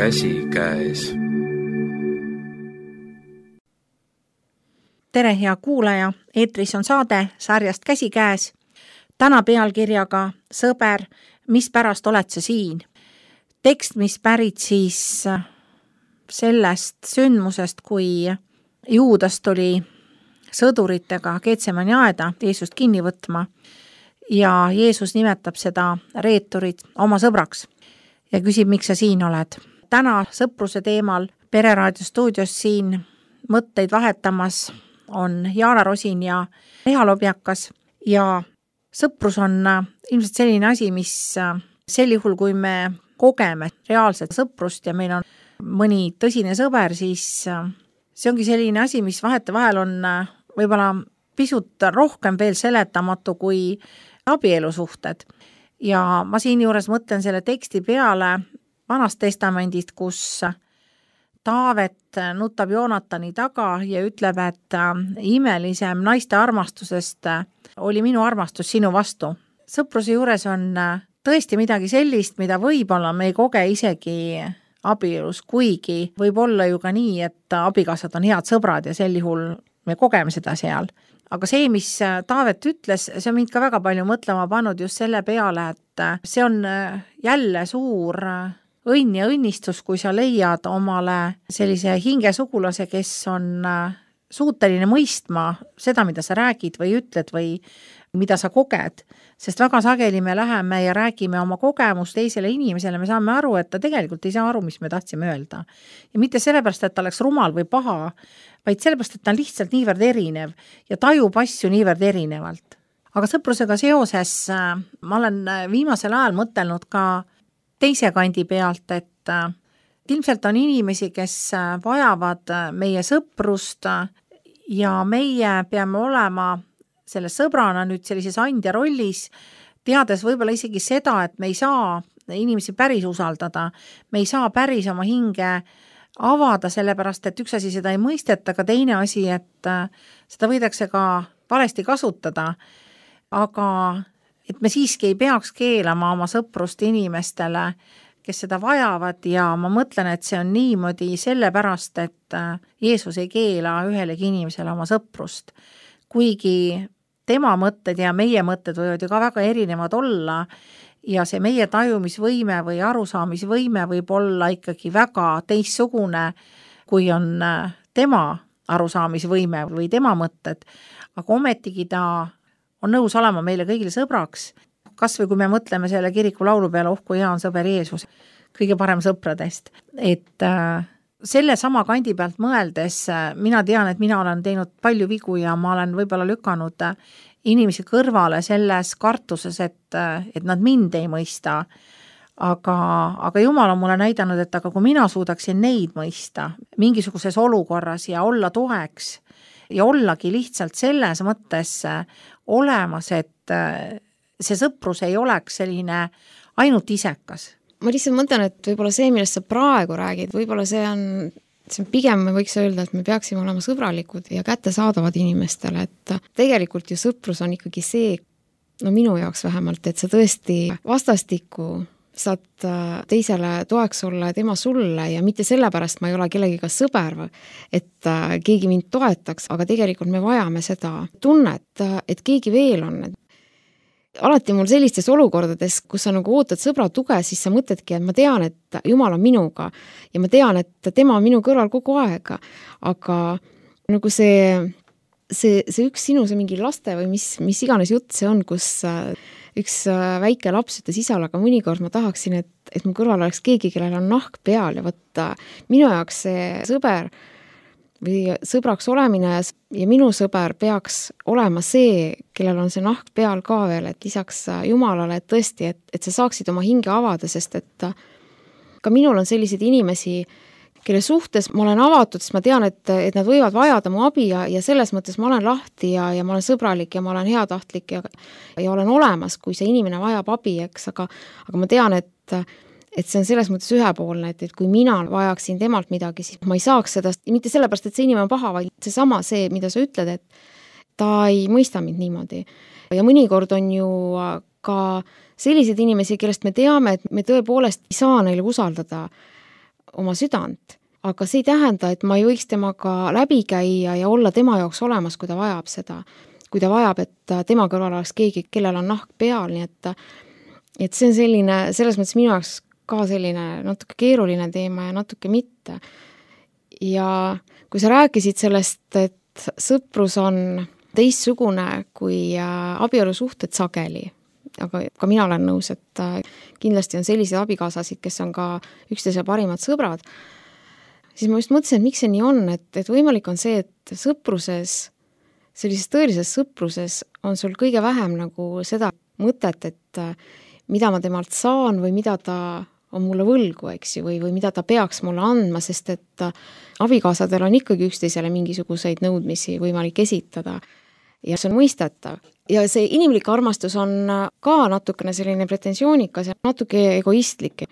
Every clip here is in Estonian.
käsikäes. Tere, hea kuulaja! Eetris on saade sarjast Käsikäes. Täna pealkirjaga Sõber, mispärast oled sa siin? Tekst, mis pärit siis sellest sündmusest, kui Juudas tuli sõduritega Getsemani aeda Jeesust kinni võtma ja Jeesus nimetab seda reeturit oma sõbraks ja küsib, miks sa siin oled. Täna sõpruse teemal Pereraadio stuudios siin mõtteid vahetamas on Jaana Rosin ja Riho Lobjakas ja sõprus on ilmselt selline asi, mis sel juhul, kui me kogeme reaalset sõprust ja meil on mõni tõsine sõber, siis see ongi selline asi, mis vahetevahel on võib-olla pisut rohkem veel seletamatu kui abielusuhted. Ja ma siin juures mõtlen selle teksti peale Vanast testamendist, kus Taavet nutab Joonatani taga ja ütleb, et imelisem naiste armastusest oli minu armastus sinu vastu. Sõpruse juures on tõesti midagi sellist, mida võib-olla me ei koge isegi abielus, kuigi võib olla ju ka nii, et abikaasad on head sõbrad ja sel juhul me kogeme seda seal. Aga see, mis Taavet ütles, see on mind ka väga palju mõtlema pannud just selle peale, et see on jälle suur õnn ja õnnistus, kui sa leiad omale sellise hingesugulase, kes on suuteline mõistma seda, mida sa räägid või ütled või mida sa koged. Sest väga sageli me läheme ja räägime oma kogemust teisele inimesele, me saame aru, et ta tegelikult ei saa aru, mis me tahtsime öelda. Ja mitte sellepärast, et ta oleks rumal või paha, vaid sellepärast, et ta on lihtsalt niivõrd erinev ja tajub asju niivõrd erinevalt. Aga sõprusega seoses ma olen viimasel ajal mõtelnud ka teise kandi pealt, et ilmselt on inimesi, kes vajavad meie sõprust ja meie peame olema selle sõbrana nüüd sellises andja rollis, teades võib-olla isegi seda, et me ei saa inimesi päris usaldada, me ei saa päris oma hinge avada, sellepärast, et üks asi seda ei mõisteta, aga teine asi, et seda võidakse ka valesti kasutada, aga et me siiski ei peaks keelama oma sõprust inimestele, kes seda vajavad ja ma mõtlen, et see on niimoodi sellepärast, et Jeesus ei keela ühelegi inimesele oma sõprust. Kuigi tema mõtted ja meie mõtted võivad ju ka väga erinevad olla ja see meie tajumisvõime või arusaamisvõime võib olla ikkagi väga teistsugune, kui on tema arusaamisvõime või tema mõtted, aga ometigi ta on nõus olema meile kõigile sõbraks, kas või kui me mõtleme selle kiriku laulu peale, kui hea on sõber Jeesus, kõige parem sõpradest. Et selle sama kandi pealt mõeldes, mina tean, et mina olen teinud palju vigu ja ma olen võib-olla lükanud inimesi kõrvale selles kartuses, et nad mind ei mõista. Aga Jumal on mulle näidanud, et aga kui mina suudaksin neid mõista mingisuguses olukorras ja olla toeks ja ollagi lihtsalt selles mõttes olemas, et see sõprus ei oleks selline ainult isekas. Ma lihtsalt mõtlen, et võib-olla see, millest sa praegu räägid, võib-olla see on pigem me võiks öelda, et me peaksime olema sõbralikud ja kättesaadavad inimestele, et tegelikult ju sõprus on ikkagi see, no minu jaoks vähemalt, et sa tõesti vastastikku saad teisele toeks olla ja tema sulle ja mitte sellepärast ma ei ole kellegiga sõber, et keegi mind toetaks, aga tegelikult me vajame seda tunnet, et keegi veel on. Alati mul sellistes olukordades, kus sa nagu ootad sõbra tuge, siis sa mõtledki, et ma tean, et Jumal on minuga ja ma tean, et tema on minu kõrval kogu aeg, aga nagu see üks sinu, see mingi laste või mis iganes jutt see on, kus üks väike laps ütles isale, aga mõnikord ma tahaksin, et mu kõrval oleks keegi, kellel on nahk peal ja võtta minu jaoks see sõber või sõbraks olemine ja minu sõber peaks olema see, kellel on see nahk peal ka veel, et lisaks Jumalale, et tõesti, et sa saaksid oma hinge avada, sest et ka minul on selliseid inimesi, kelle suhtes ma olen avatud, sest ma tean, et nad võivad vajada mu abi ja selles mõttes ma olen lahti ja ma olen sõbralik ja ma olen heatahtlik ja olen olemas, kui see inimene vajab abi, eks, aga ma tean, et see on selles mõttes ühepoolne, et kui mina vajaksin temalt midagi, siis ma ei saaks seda, mitte sellepärast, et see inimene on paha, vaid seesama see, mida sa ütled, et ta ei mõista mind niimoodi. Ja mõnikord on ju ka selliseid inimesi, kellest me teame, et me tõepoolest ei saa neile usaldada oma südant. Aga see ei tähenda, et ma ei võiks temaga läbi käia ja olla tema jaoks olemas, kui ta vajab seda. Kui ta vajab, et tema kõrval oleks keegi, kellel on nahk peal, nii et see on selline, selles mõttes minu jaoks ka selline natuke keeruline teema ja natuke mitte. Ja kui sa rääkisid sellest, et sõprus on teistsugune kui abielusuhted sageli, aga ka mina olen nõus, et kindlasti on selliseid abikaasasid, kes on ka üksteise parimad sõbrad, siis ma just mõtlesin, et miks see nii on, et võimalik on see, et sõpruses, sellises tõelises sõpruses on sul kõige vähem nagu seda mõtet, et mida ma temalt saan või mida ta on mulle võlgu, eks ju, või mida ta peaks mulle andma, sest et abikaasadel on ikkagi üksteisele mingisuguseid nõudmisi võimalik esitada ja see on mõistetav. Ja see inimlik armastus on ka natukene selline pretensioonikas ja natuke egoistlik.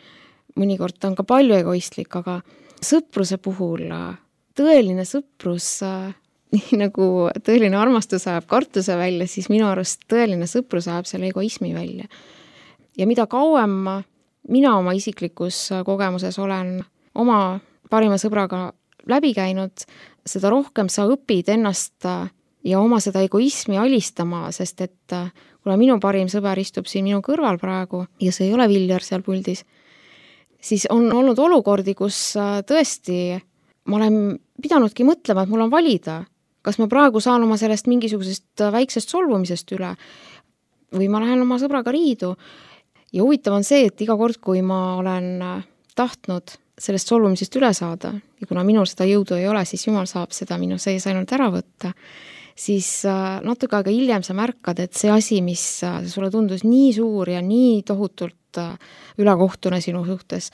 Mõnikord on ka palju egoistlik, aga sõpruse puhul tõeline sõprus, nii nagu tõeline armastus ajab kartuse välja, siis minu arust tõeline sõprus ajab selle egoismi välja. Ja mida kauem mina oma isiklikus kogemuses olen oma parima sõbraga läbi käinud, seda rohkem sa õpid ennast ja oma seda egoismi alistama, sest et kuna minu parim sõber istub siin minu kõrval praegu ja see ei ole Viljar seal puldis, siis on olnud olukordi, kus tõesti ma olen pidanudki mõtlema, et mul on valida, kas ma praegu saan oma sellest mingisugusest väiksest solvumisest üle või ma lähen oma sõbraga riidu. Ja huvitav on see, et iga kord, kui ma olen tahtnud sellest solvumisest üle saada ja kuna minul seda jõudu ei ole, siis Jumal saab seda minu sees ainult ära võtta, siis natuke aega hiljem sa märkad, et see asi, mis sulle tundus nii suur ja nii tohutult ülekohtune sinu suhtes,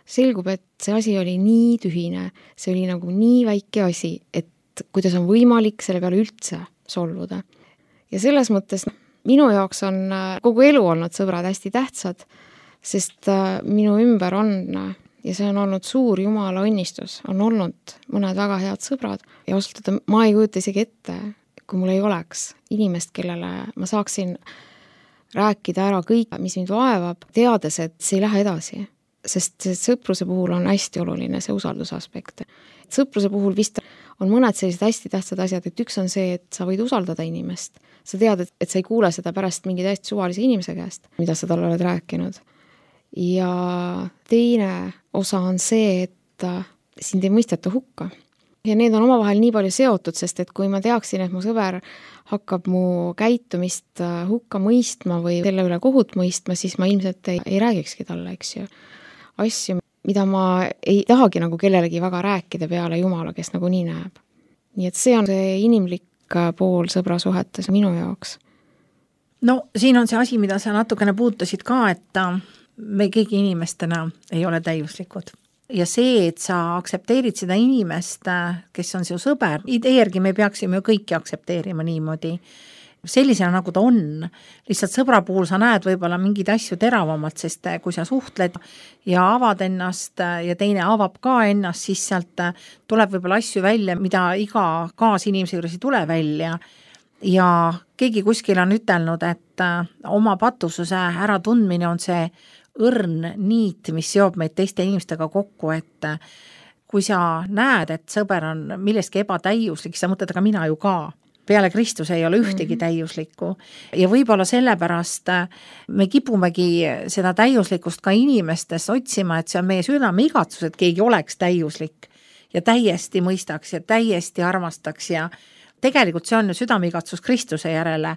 selgub, et see asi oli nii tühine, see oli nagu nii väike asi, et kuidas on võimalik selle peale üldse solvuda. Ja selles mõttes minu jaoks on kogu elu olnud sõbrad hästi tähtsad, sest minu ümber on, ja see on olnud suur Jumala õnnistus, on olnud mõned väga head sõbrad ja ausalt, ma ei kujuta isegi ette, kui mul ei oleks inimest, kellele ma saaksin rääkida ära kõik, mis mind vaevab, teades, et see ei lähe edasi. Sest sõpruse puhul on hästi oluline see usaldusaspekt. Sõpruse puhul vist on mõned sellised hästi tähtsad asjad, et üks on see, et sa võid usaldada inimest. Sa tead, et sa ei kuule seda pärast mingi täiesti suvalise inimese käest, mida sa talle oled rääkinud. Ja teine osa on see, et sind ei mõisteta hukka. Ja need on omavahel nii palju seotud, sest et kui ma teaksin, et mu sõber hakkab mu käitumist hukka mõistma või selle üle kohut mõistma, siis ma ilmselt ei räägikski talle, eks ju. Asju, mida ma ei tahagi nagu kellelegi väga rääkida peale Jumala, kes nagu nii näeb. Nii et see on see inimlik pool sõbrasuhetes minu jaoks. No siin on see asi, mida sa natukene puutasid ka, et me keegi inimestena ei ole täiuslikud. Ja see, et sa aksepteerid seda inimest, kes on su sõber, idee järgi me peaksime ju kõiki aksepteerima niimoodi. Sellisena nagu ta on. Lihtsalt sõbra puhul sa näed võib-olla mingid asju teravamalt, sest kui sa suhtled ja avad ennast ja teine avab ka ennast, siis sealt tuleb võib-olla asju välja, mida iga kaasinimese juures ei tule välja. Ja keegi kuskil on ütelnud, et oma patususe äratundmine on see õrn niit, mis seob meid teiste inimestega kokku, et kui sa näed, et sõber on milleski ebatäiuslik, siis sa mõtled, aga mina ju ka. Peale Kristus ei ole ühtegi täiuslikku ja võib-olla sellepärast me kipumegi seda täiuslikkust ka inimestes otsima, et see on meie südame igatsus, et keegi oleks täiuslik ja täiesti mõistaks ja täiesti armastaks ja tegelikult see on ju südame igatsus Kristuse järele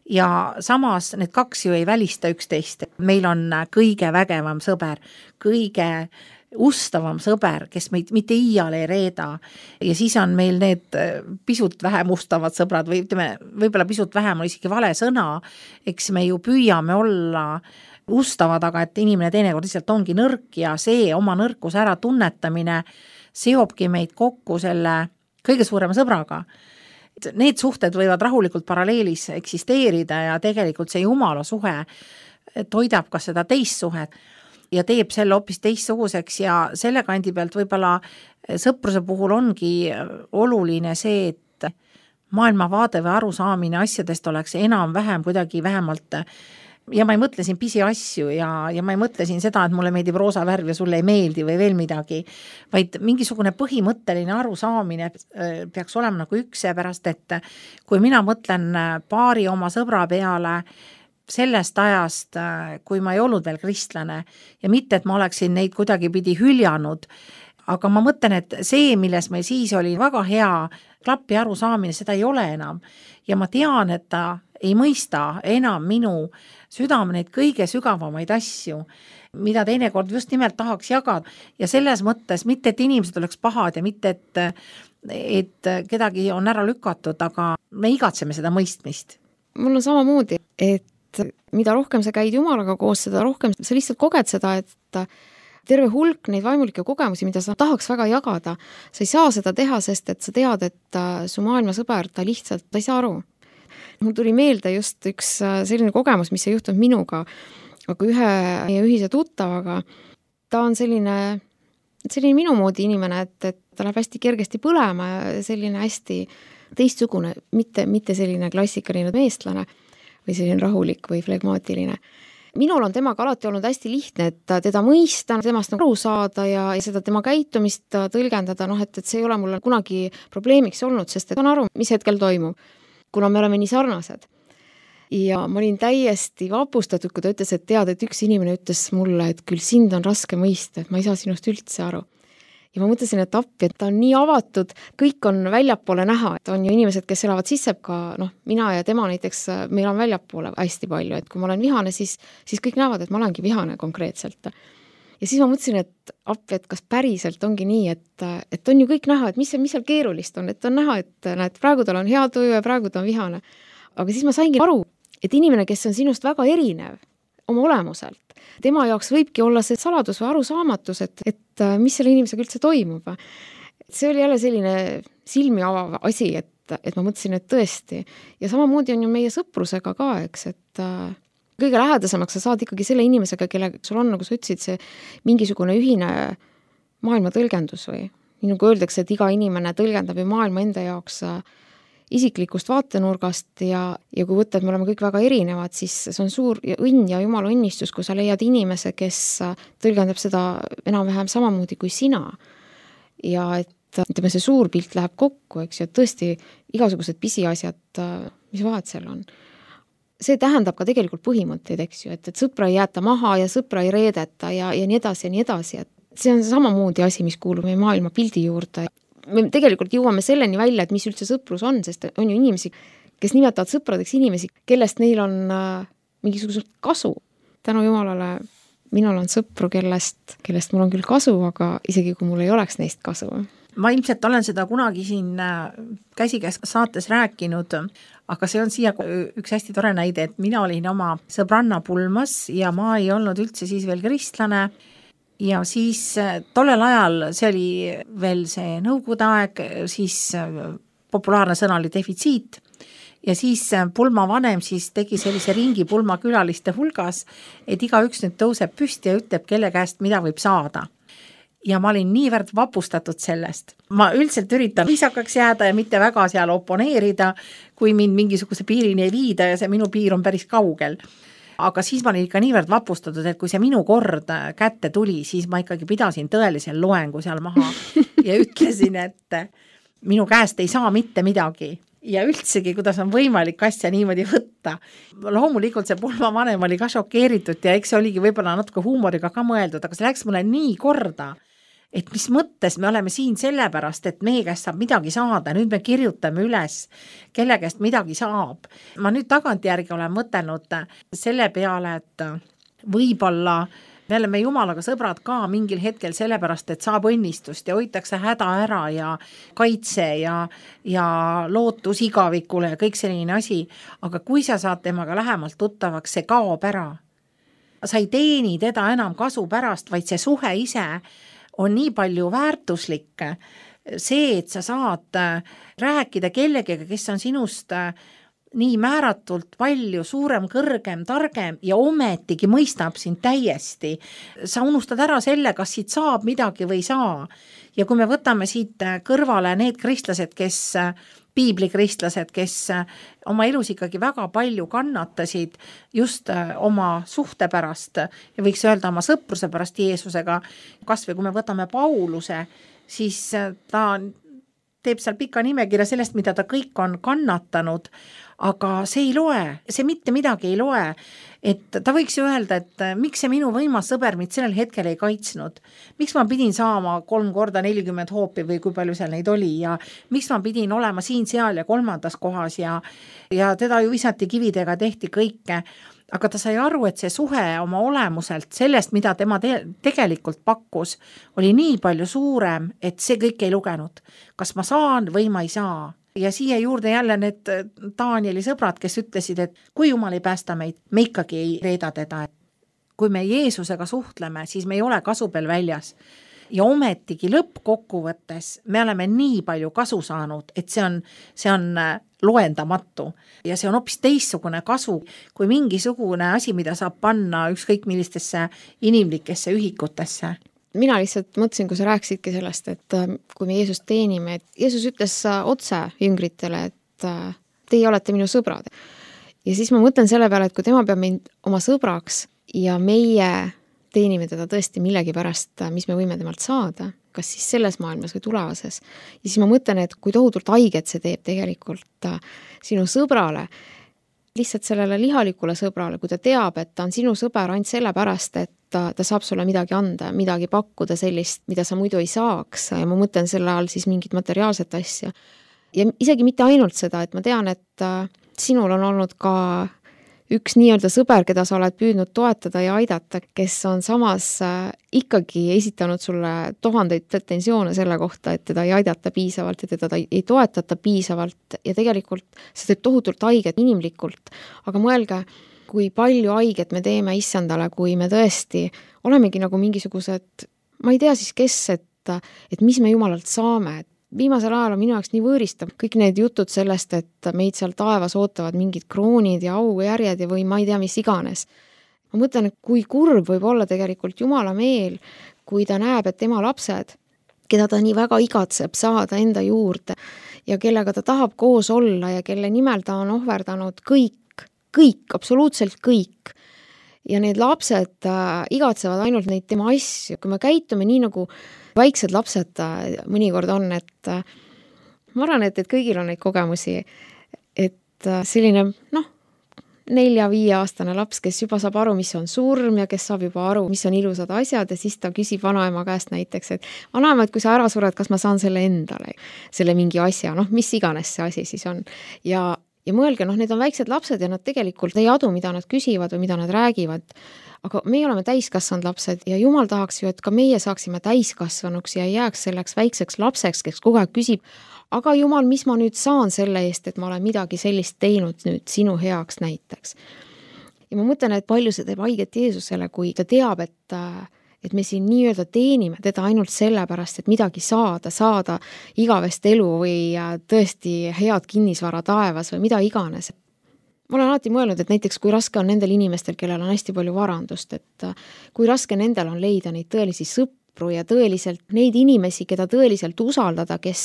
ja samas need kaks ju ei välista üksteist. Meil on kõige vägevam sõber, kõige ustavam sõber, kes meid mitte iial ei reeda ja siis on meil need pisut vähem ustavad sõbrad või ütleme, võib-olla pisut vähem on isegi vale sõna, eks me ju püüame olla ustavad, aga et inimene teinekord lihtsalt ongi nõrk ja see oma nõrkuse ära tunnetamine seobki meid kokku selle kõige suurema sõbraga. Need suhted võivad rahulikult paralleelis eksisteerida ja tegelikult see Jumala suhe toidab ka seda teist suhet ja teeb selle hoopis teistsuguseks ja selle kandi pealt võib-olla sõpruse puhul ongi oluline see, et maailmavaade või arusaamine asjadest oleks enam-vähem kuidagi vähemalt ja ma ei mõtle siin pisiasju ja ma ei mõtle siin seda, et mulle meeldib roosa värv ja sulle ei meeldi või veel midagi, vaid mingisugune põhimõtteline arusaamine peaks olema nagu üks, seepärast et kui mina mõtlen paari oma sõbra peale sellest ajast, kui ma ei olnud veel kristlane ja mitte, et ma oleksin neid kuidagipidi hüljanud, aga ma mõtlen, et see, milles meil siis oli väga hea klappi arusaamine, seda ei ole enam ja ma tean, et ta ei mõista enam minu südame neid kõige sügavamaid asju, mida teinekord just nimelt tahaks jagada ja selles mõttes mitte, et inimesed oleks pahad ja mitte, et kedagi on ära lükatud, aga me igatseme seda mõistmist. Mul on samamoodi, et mida rohkem sa käid Jumalaga koos, seda rohkem sa lihtsalt koged seda, et terve hulk neid vaimulikke kogemusi, mida sa tahaks väga jagada, sa ei saa seda teha, sest et sa tead, et su maailmasõber, ta lihtsalt ei saa aru. Mul tuli meelde just üks selline kogemus, mis ei juhtunud minuga, aga ühe meie ühise tuttavaga. Ta on selline minu moodi inimene, et ta läheb hästi kergesti põlema ja selline hästi teistsugune, mitte selline klassikaline meestlane või selline rahulik või flegmaatiline. Minul on temaga alati olnud hästi lihtne, et teda mõista, temast aru saada ja seda tema käitumist tõlgendada, et see ei ole mulle kunagi probleemiks olnud, sest et on aru, mis hetkel toimub, kuna me oleme nii sarnased. Ja ma olin täiesti vapustatud, kui ta ütles, et tead, et üks inimene ütles mulle, et küll sind on raske mõista, et ma ei saa sinust üldse aru. Ja ma mõtlesin, et appi, et ta on nii avatud, kõik on väljapoole näha, et on ju inimesed, kes elavad sisse ka, mina ja tema näiteks, meil on väljapoole hästi palju, et kui ma olen vihane, siis kõik näevad, et ma olengi vihane konkreetselt. Ja siis ma mõtlesin, et appi, et kas päriselt ongi nii, et on ju kõik näha, et mis seal keerulist on, et on näha, et näed, praegu tal on hea tuju ja praegu ta on vihane. Aga siis ma saingi aru, et inimene, kes on sinust väga erinev oma olemuselt, tema jaoks võibki olla see saladus või arusaamatus, et mis selle inimesega üldse toimub. See oli jälle selline silmi avav asi, et ma mõtlesin, et tõesti. Ja samamoodi on ju meie sõprusega ka, eks, et kõige lähedasemaks sa saad ikkagi selle inimesega, kelle sul on, nagu sa ütlesid, see mingisugune ühine maailma tõlgendus või nii nagu öeldakse, et iga inimene tõlgendab ju maailma enda jaoks isiklikust vaatenurgast ja kui võtta, et me oleme kõik väga erinevad, siis see on suur õnn ja jumala õnnistus, kui sa leiad inimese, kes tõlgendab seda enam-vähem samamoodi kui sina. Ja et ütleme, see suur pilt läheb kokku, eks ju, et tõesti igasugused pisiasjad, mis vahet seal on. See tähendab ka tegelikult põhimõtteid, eks ju, et sõpra ei jäeta maha ja sõpra ei reedeta ja nii edasi ja nii edasi. Et see on samamoodi asi, mis kuulub meie maailma pildi juurde. Me tegelikult jõuame selleni välja, et mis üldse sõprus on, sest on ju inimesi, kes nimetavad sõpradeks inimesi, kellest neil on mingisugused kasu. Tänu Jumalale minul on sõpru, kellest mul on küll kasu, aga isegi kui mul ei oleks neist kasu. Ma ilmselt olen seda kunagi siin käsikäes saates rääkinud, aga see on siia üks hästi tore näide, et mina olin oma sõbranna pulmas ja ma ei olnud üldse siis veel kristlane ja siis tollel ajal, see oli veel see nõukogude aeg, siis populaarne sõna oli defitsiit ja siis pulma vanem siis tegi sellise ringi pulma külaliste hulgas, et igaüks nüüd tõuseb püsti ja ütleb, kelle käest mida võib saada. Ja ma olin niivõrd vapustatud sellest. Ma üldiselt üritan viisakaks jääda ja mitte väga seal oponeerida, kui mind mingisuguse piirini ei viida ja see minu piir on päris kaugel. Aga siis ma olin ikka niivõrd vapustatud, et kui see minu kord kätte tuli, siis ma ikkagi pidasin tõelisel loengu seal maha ja ütlesin, et minu käest ei saa mitte midagi. Ja üldsegi, kuidas on võimalik asja niimoodi võtta. Loomulikult see pulma vanem oli ka šokeeritud ja eks see oligi võib-olla natuke huumoriga ka mõeldud, aga see läks mulle nii korda, et mis mõttes me oleme siin sellepärast, et meie käest saab midagi saada, nüüd me kirjutame üles, kelle käest midagi saab. Ma nüüd tagantjärgi olen mõtelnud selle peale, et võib-olla me oleme Jumalaga sõbrad ka mingil hetkel sellepärast, et saab õnnistust ja hoitakse häda ära ja kaitse ja lootus igavikule ja kõik selline asi. Aga kui sa saad temaga lähemalt tuttavaks, see kaob ära. Sa ei teeni teda enam kasu pärast, vaid see suhe ise on nii palju väärtuslik. See, et sa saad rääkida kellegagi, kes on sinust nii määratult palju suurem, kõrgem, targem ja ometigi mõistab sind täiesti. Sa unustad ära selle, kas siit saab midagi või ei saa. Ja kui me võtame siit kõrvale need kristlased, kes piiblikristlased, kes oma elus ikkagi väga palju kannatasid just oma suhte pärast ja võiks öelda oma sõpruse pärast Jeesusega. Kas või kui me võtame Pauluse, siis ta teeb seal pika nimekirja sellest, mida ta kõik on kannatanud, aga see ei loe, see mitte midagi ei loe. Et ta võiks ju öelda, et miks see minu võimas sõber mind sellel hetkel ei kaitsnud, miks ma pidin saama 3 korda 40 hoopi või kui palju seal neid oli ja miks ma pidin olema siin, seal ja 3. kohas ja teda ju visati kividega, tehti kõike. Aga ta sai aru, et see suhe oma olemuselt sellest, mida tema tegelikult pakkus, oli nii palju suurem, et see kõik ei lugenud. Kas ma saan või ma ei saa? Ja siia juurde jälle need Danieli sõbrad, kes ütlesid, et kui Jumal ei päästa meid, me ikkagi ei reeda teda. Kui me Jeesusega suhtleme, siis me ei ole kasu peal väljas. Ja ometigi lõppkokkuvõttes me oleme nii palju kasu saanud, et see on loendamatu. Ja see on hoopis teistsugune kasu, kui mingisugune asi, mida saab panna ükskõik millistesse inimlikesse ühikutesse. Mina lihtsalt mõtlesin, kui sa rääkisidki sellest, et kui me Jeesust teenime, et Jeesus ütles otse jüngritele, et teie olete minu sõbrad. Ja siis ma mõtlen selle peale, et kui tema peab meid oma sõbraks ja meie teenime teda tõesti millegi pärast, mis me võime temalt saada, kas siis selles maailmas või tulevases. Ja siis ma mõtlen, et kui tohutult haiget see teeb tegelikult sinu sõbrale, lihtsalt sellele lihalikule sõbrale, kui ta teab, et ta on sinu sõber ainult selle pärast, et ta saab sulle midagi anda, midagi pakkuda sellist, mida sa muidu ei saaks ja ma mõtlen selle all siis mingit materiaalset asja. Ja isegi mitte ainult seda, et ma tean, et sinul on olnud ka üks nii-öelda sõber, keda sa oled püüdnud toetada ja aidata, kes on samas ikkagi esitanud sulle 1000 pretensioone selle kohta, et teda ei aidata piisavalt ja teda ei toetata piisavalt ja tegelikult see teeb tohutult haiget inimlikult, aga mõelge, kui palju haiget me teeme issandale, kui me tõesti olemegi nagu mingisugused, ma ei tea siis kes, et mis me Jumalalt saame. Viimasel ajal on minu jaoks nii võõristab kõik need jutud sellest, et meid seal taevas ootavad mingid kroonid ja aujärjed ja või ma ei tea, mis iganes. Ma mõtlen, et kui kurb võib olla tegelikult Jumala meel, kui ta näeb, et tema lapsed, keda ta nii väga igatseb saada enda juurde ja kellega ta tahab koos olla ja kelle nimel ta on ohverdanud kõik, absoluutselt kõik. Ja need lapsed igatsevad ainult neid tema asju. Kui me käitume nii nagu väiksed lapsed mõnikord on, et ma arvan, et kõigil on neid kogemusi, et selline 4-5-aastane laps, kes juba saab aru, mis on surm ja kes saab juba aru, mis on ilusad asjad ja siis ta küsib vanaema käest näiteks, et vanaema, et kui sa ära sured, kas ma saan selle endale, selle mingi asja, mis iganes see asi siis on. Ja mõelge, need on väiksed lapsed ja nad tegelikult ei adu, mida nad küsivad või mida nad räägivad. Aga meie oleme täiskasvanud lapsed ja Jumal tahaks ju, et ka meie saaksime täiskasvanuks ja ei jääks selleks väikseks lapseks, kes kogu aeg küsib, aga Jumal, mis ma nüüd saan selle eest, et ma olen midagi sellist teinud nüüd sinu heaks näiteks. Ja ma mõtlen, et palju see teeb haiget Jeesusele, kui ta teab, et me siin nii-öelda teenime teda ainult sellepärast, et midagi saada igavest elu või tõesti head kinnisvara taevas või mida iganes. Ma olen alati mõelnud, et näiteks kui raske on nendel inimestel, kellel on hästi palju varandust, et kui raske nendel on leida neid tõelisi sõpru ja tõeliselt neid inimesi, keda tõeliselt usaldada, kes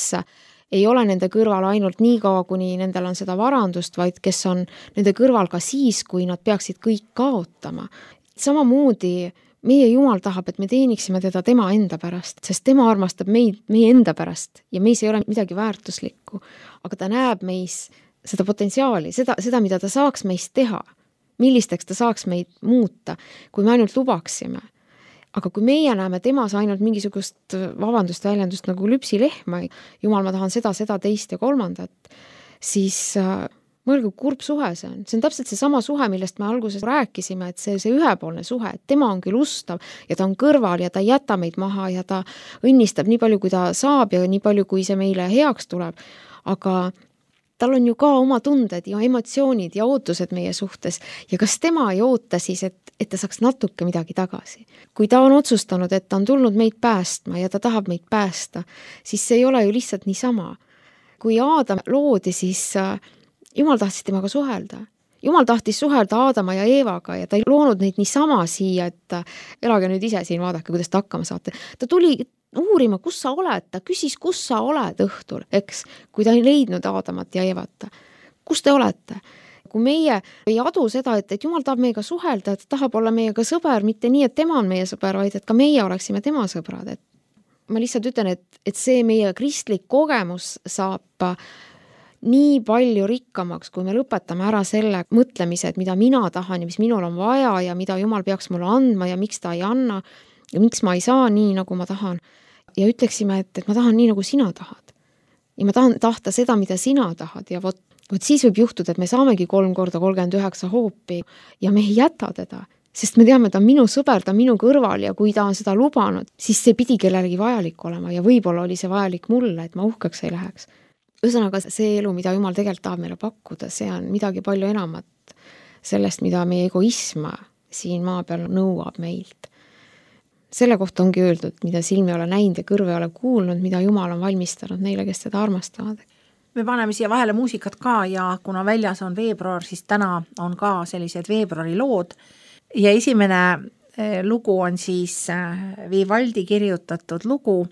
ei ole nende kõrval ainult nii kaua, kuni nendel on seda varandust, vaid kes on nende kõrval ka siis, kui nad peaksid kõik kaotama. Samamoodi meie Jumal tahab, et me teeniksime teda tema enda pärast, sest tema armastab meid meie enda pärast ja meis ei ole midagi väärtuslikku, aga ta näeb meis seda potentsiaali, seda, mida ta saaks meist teha, millisteks ta saaks meid muuta, kui me ainult lubaksime. Aga kui meie näeme temas ainult mingisugust väljendust nagu lüpsilehma, Jumal, ma tahan seda, teist ja kolmandat, siis mõelge, kui kurb suhe see on. See on täpselt see sama suhe, millest me alguses rääkisime, et see ühepoolne suhe, et tema on küll ustav ja ta on kõrval ja ta ei jäta meid maha ja ta õnnistab nii palju, kui ta saab ja nii palju, kui see meile heaks tuleb. Aga tal on ju ka oma tunded ja emotsioonid ja ootused meie suhtes ja kas tema ei oota siis, et ta saaks natuke midagi tagasi. Kui ta on otsustanud, et ta on tulnud meid päästma ja ta tahab meid päästa, siis see ei ole ju lihtsalt niisama. Kui Aadam loodi, siis Jumal tahtis temaga suhelda. Jumal tahtis suhelda Aadama ja Eevaga ja ta ei loonud neid niisama siia, et elage nüüd ise siin, vaadake, kuidas ta hakkama saate. Ta tuli uurima, kus sa oled, ta küsis, kus sa oled õhtul, eks, kui ta ei leidnud Aadamat ja Evat. Kus te olete? Kui meie ei adu seda, et Jumal tahab meiega suhelda, et tahab olla meiega sõber, mitte nii, et tema on meie sõber, vaid et ka meie oleksime tema sõbrad. Et ma lihtsalt ütlen, et see meie kristlik kogemus saab nii palju rikkamaks, kui me lõpetame ära selle mõtlemise, et mida mina tahan ja mis minul on vaja ja mida Jumal peaks mulle andma ja miks ta ei anna ja miks ma ei saa nii, nagu ma tahan. Ja ütleksime, et ma tahan nii, nagu sina tahad. Ja ma tahan tahta seda, mida sina tahad ja vot siis võib juhtuda, et me saamegi 3 korda 39 hoopi ja me ei jäta teda, sest me teame, ta on minu sõber, ta on minu kõrval ja kui ta on seda lubanud, siis see pidi kellelegi vajalik olema ja võib-olla oli see vajalik mulle, et ma uhkeks ei läheks. Ühesõnaga, see elu, mida Jumal tegelikult tahab meile pakkuda, see on midagi palju enamat sellest, mida meie egoism siin maa peal nõuab meilt. Selle kohta ongi öeldud, mida silmi ei ole näinud ja kõrve ei ole kuulnud, mida Jumal on valmistanud neile, kes teda armastavad. Me paneme siia vahele muusikat ka ja kuna väljas on veebruar, siis täna on ka sellised veebruari lood ja esimene lugu on siis Vivaldi kirjutatud lugu,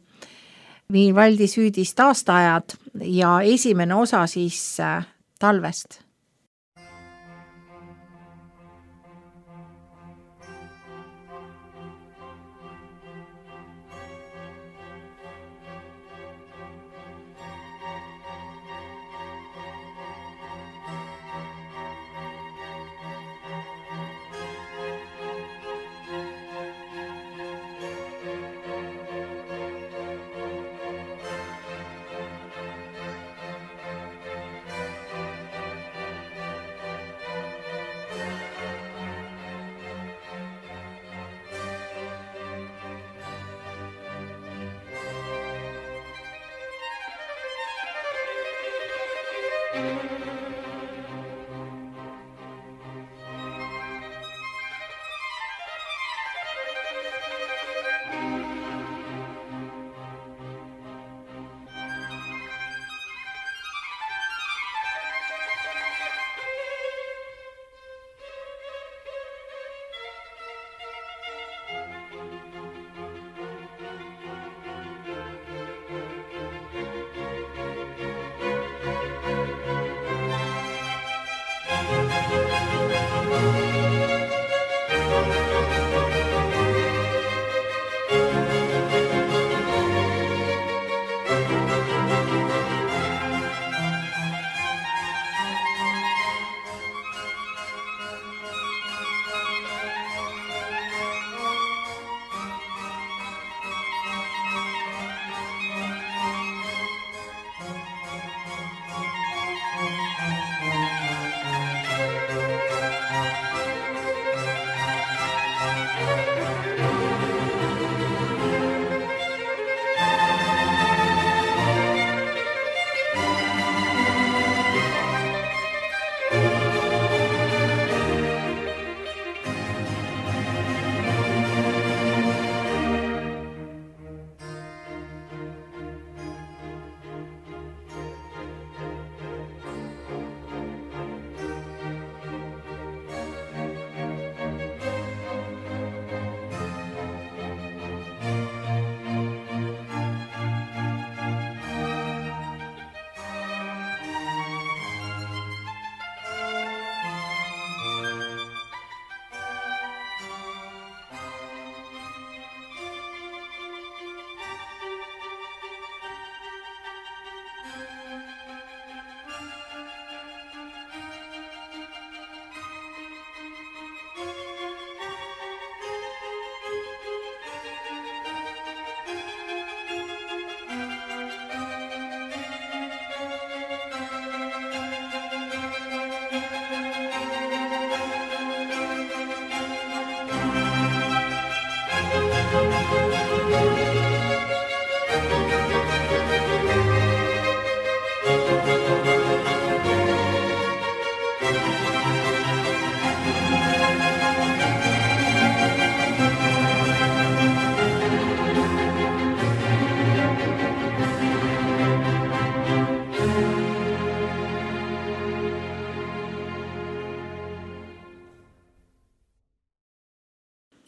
Vivaldi süüdist aastaajad ja esimene osa siis talvest.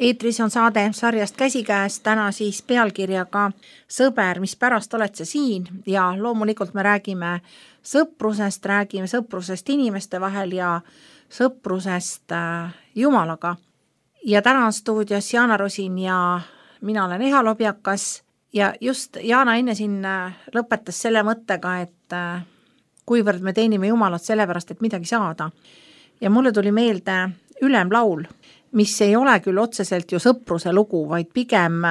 Eetris on saade sarjast Käsikäes, täna siis pealkirjaga Sõber, mis pärast oled sa siin, ja loomulikult me räägime sõprusest inimeste vahel ja sõprusest Jumalaga. Ja täna on stuudios Jaana Rosin ja mina olen Eha Lobjakas ja just Jaana enne siin lõpetas selle mõttega, et kuivõrd me teenime Jumalat sellepärast, et midagi saada. Ja mulle tuli meelde Ülemlaul, mis ei ole küll otseselt ju sõpruse lugu, vaid pigem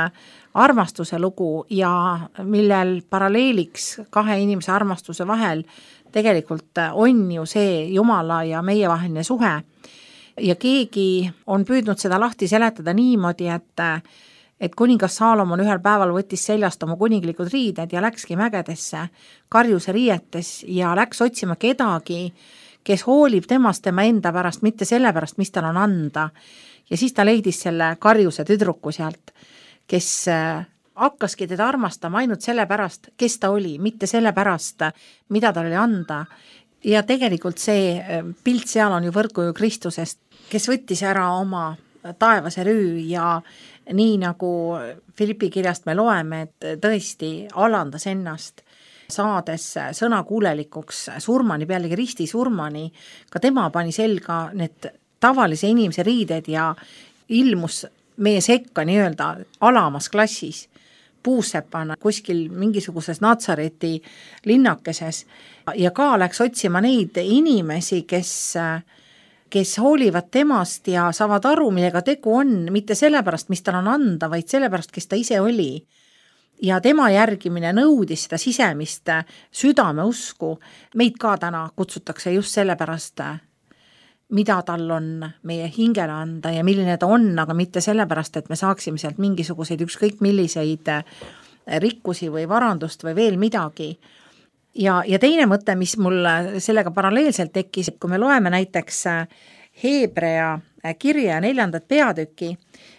armastuse lugu ja millel paralleeliks kahe inimese armastuse vahel tegelikult on ju see Jumala ja meie vaheline suhe. Ja keegi on püüdnud seda lahti seletada niimoodi, et kuningas Saalomon ühel päeval võttis seljast oma kuninglikud riided ja läkski mägedesse karjuse riietes ja läks otsima kedagi, kes hoolib temast tema enda pärast, mitte selle pärast, mis tal on anda. Ja siis ta leidis selle karjuse tüdruku sealt, kes hakkaski teda armastama ainult selle pärast, kes ta oli, mitte selle pärast, mida tal oli anda. Ja tegelikult see pilt seal on ju võrguju Kristusest, kes võttis ära oma taevase rüü ja nii nagu Filippi kirjast me loeme, et tõesti alandas ennast, saades sõnakuulelikuks surmani, pealegi risti surmani, ka tema pani selga need tavalise inimese riided ja ilmus meie sekka nii-öelda alamas klassis, puusepana kuskil mingisuguses Natsareti linnakeses ja ka läks otsima neid inimesi, kes hoolivad temast ja saavad aru, millega tegu on, mitte sellepärast, mis tal on anda, vaid sellepärast, kes ta ise oli. Ja tema järgimine nõudis seda sisemist südameusku. Meid ka täna kutsutakse just sellepärast, mida tal on meie hingele anda ja milline ta on, aga mitte sellepärast, et me saaksime sealt mingisuguseid ükskõik milliseid rikkusi või varandust või veel midagi. Ja teine mõte, mis mul sellega paralleelselt tekkis, et kui me loeme näiteks Heebrea kirja 4. peatüki,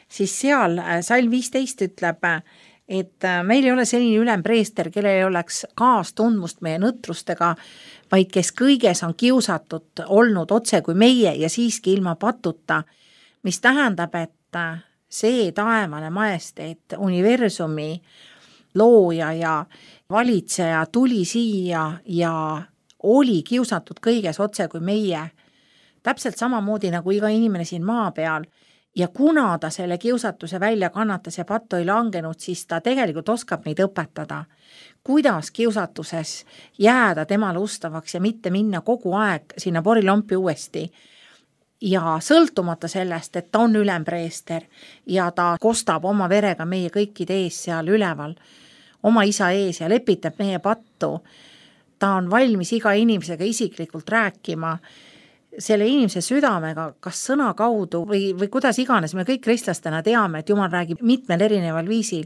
siis seal salm 15 ütleb, et meil ei ole selline ülempreester, kellel ei oleks kaastundmust meie nõtrustega, vaid kes kõiges on kiusatud olnud otse kui meie ja siiski ilma patuta, mis tähendab, et see taevane majesteet, universumi looja ja valitseja tuli siia ja oli kiusatud kõiges otse kui meie, täpselt samamoodi nagu iga inimene siin maa peal. Ja kuna ta selle kiusatuse välja kannatas ja pattu ei langenud, siis ta tegelikult oskab meid õpetada, kuidas kiusatuses jääda temale ustavaks ja mitte minna kogu aeg sinna porilompi uuesti. Ja sõltumata sellest, et ta on ülempreester ja ta kostab oma verega meie kõikide ees seal üleval, oma isa ees ja lepitab meie pattu, ta on valmis iga inimesega isiklikult rääkima, selle inimese südamega, kas sõna kaudu või kuidas iganes, me kõik kristlastena teame, et Jumal räägib mitmel erineval viisil,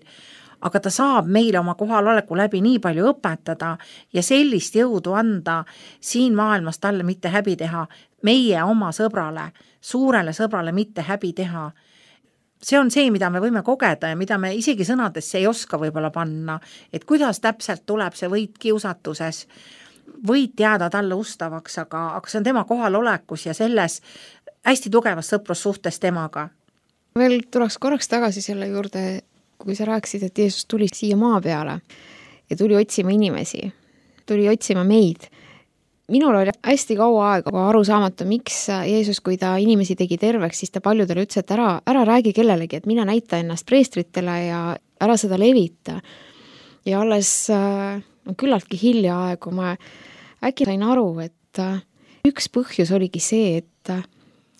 aga ta saab meile oma kohaloleku läbi nii palju õpetada ja sellist jõudu anda siin maailmas talle mitte häbi teha, meie oma sõbrale, suurele sõbrale mitte häbi teha. See on see, mida me võime kogeda ja mida me isegi sõnadesse ei oska võib-olla panna, et kuidas täpselt tuleb see võit kiusatuses, võid jääda talle ustavaks, aga see on tema kohalolekus ja selles hästi tugevas sõprussuhtes temaga. Veel tuleks korraks tagasi selle juurde, kui sa rääkisid, et Jeesus tuli siia maa peale ja tuli otsima inimesi, tuli otsima meid. Minul oli hästi kaua aega aru saamata, miks Jeesus, kui ta inimesi tegi terveks, siis ta paljudele ütles, et ära räägi kellelegi, et mine näita ennast preestritele ja ära seda levita. Ja alles küllaltki hiljaaegu ma äkki sain aru, et üks põhjus oligi see, et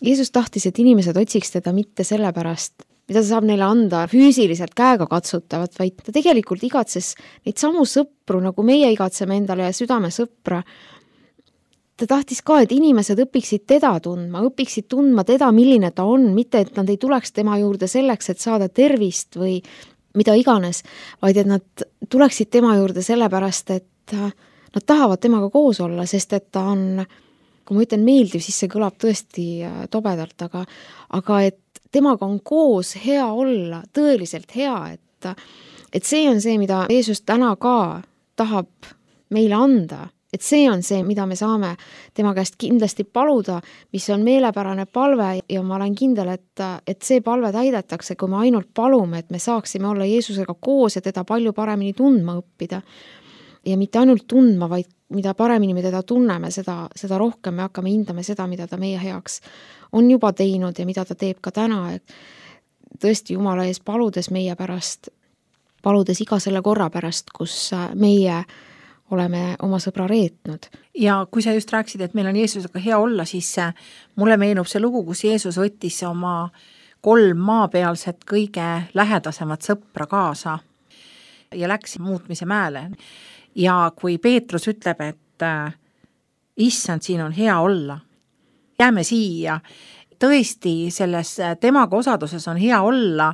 Jeesus tahtis, et inimesed otsiks teda mitte selle pärast, mida ta saab neile anda füüsiliselt käega katsutavat, vaid ta tegelikult igatses neid samu sõpru, nagu meie igatseme endale ja südame sõpra. Ta tahtis ka, et inimesed õpiksid teda tundma, õpiksid tundma teda, milline ta on, mitte et nad ei tuleks tema juurde selleks, et saada tervist või mida iganes, vaid et nad tuleksid tema juurde sellepärast, et nad tahavad temaga koos olla, sest et ta on, kui ma ütlen meeldiv, siis see kõlab tõesti tobedalt, aga et temaga on koos hea olla, tõeliselt hea, et see on see, mida Jeesus täna ka tahab meile anda, et see on see, mida me saame tema käest kindlasti paluda, mis on meelepärane palve ja ma olen kindel, et see palve täidetakse, kui me ainult palume, et me saaksime olla Jeesusega koos ja teda palju paremini tundma õppida. Ja mitte ainult tundma, vaid mida paremini me teda tunneme, seda rohkem me hakkame hindama seda, mida ta meie heaks on juba teinud ja mida ta teeb ka täna, et tõesti Jumala ees paludes meie pärast, paludes iga selle korra pärast, kus meie oleme oma sõbra reetnud. Ja kui sa just rääkisid, et meil on Jeesusega hea olla, siis mulle meenub see lugu, kus Jeesus võttis oma 3 maapealset kõige lähedasemat sõpra kaasa ja läks muutmise mäele. Ja kui Peetrus ütleb, et issand, siin on hea olla, jääme siia, tõesti selles temaga osaduses on hea olla,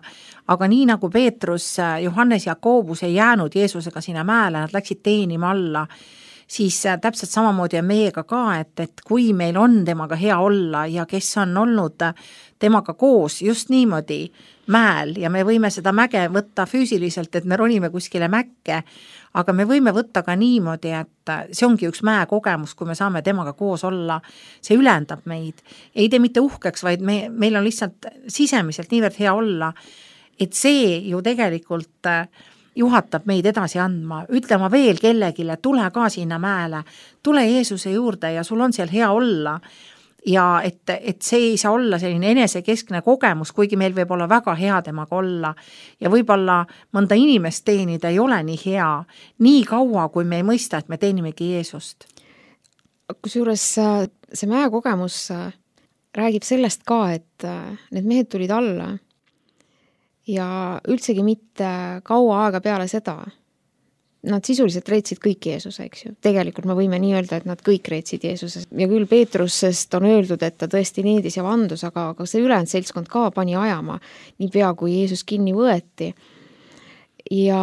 aga nii nagu Peetrus, Johannes ja Jakoobus ei jäänud Jeesusega sinna mäele, nad läksid teenima alla, siis täpselt samamoodi on meiega ka, et kui meil on temaga hea olla ja kes on olnud temaga koos just niimoodi mäel ja me võime seda mäge võtta füüsiliselt, et me ronime kuskile mäkke, aga me võime võtta ka niimoodi, et see ongi üks mäekogemus, kui me saame temaga koos olla, see ülendab meid. Ei tee mitte uhkeks, vaid meil on lihtsalt sisemiselt niivõrd hea olla, et see ju tegelikult juhatab meid edasi andma, ütlema veel kellegile, tule ka sinna mäele, tule Jeesuse juurde ja sul on seal hea olla. Ja et see ei saa olla selline enesekeskne kogemus, kuigi meil võib olla väga hea temaga olla ja võib-olla mõnda inimest teenida ei ole nii hea, nii kaua, kui me ei mõista, et me teenimegi Jeesust. Kusjuures see mäekogemus räägib sellest ka, et need mehed tulid alla ja üldsegi mitte kaua aega peale seda. Nad sisuliselt reetsid kõik Jeesuse, eks ju. Tegelikult me võime nii öelda, et nad kõik reetsid Jeesuse. Ja küll Peetrusest on öeldud, et ta tõesti needis ja vandus, aga see ülejäänud seltskond ka pani ajama nii pea, kui Jeesus kinni võeti. Ja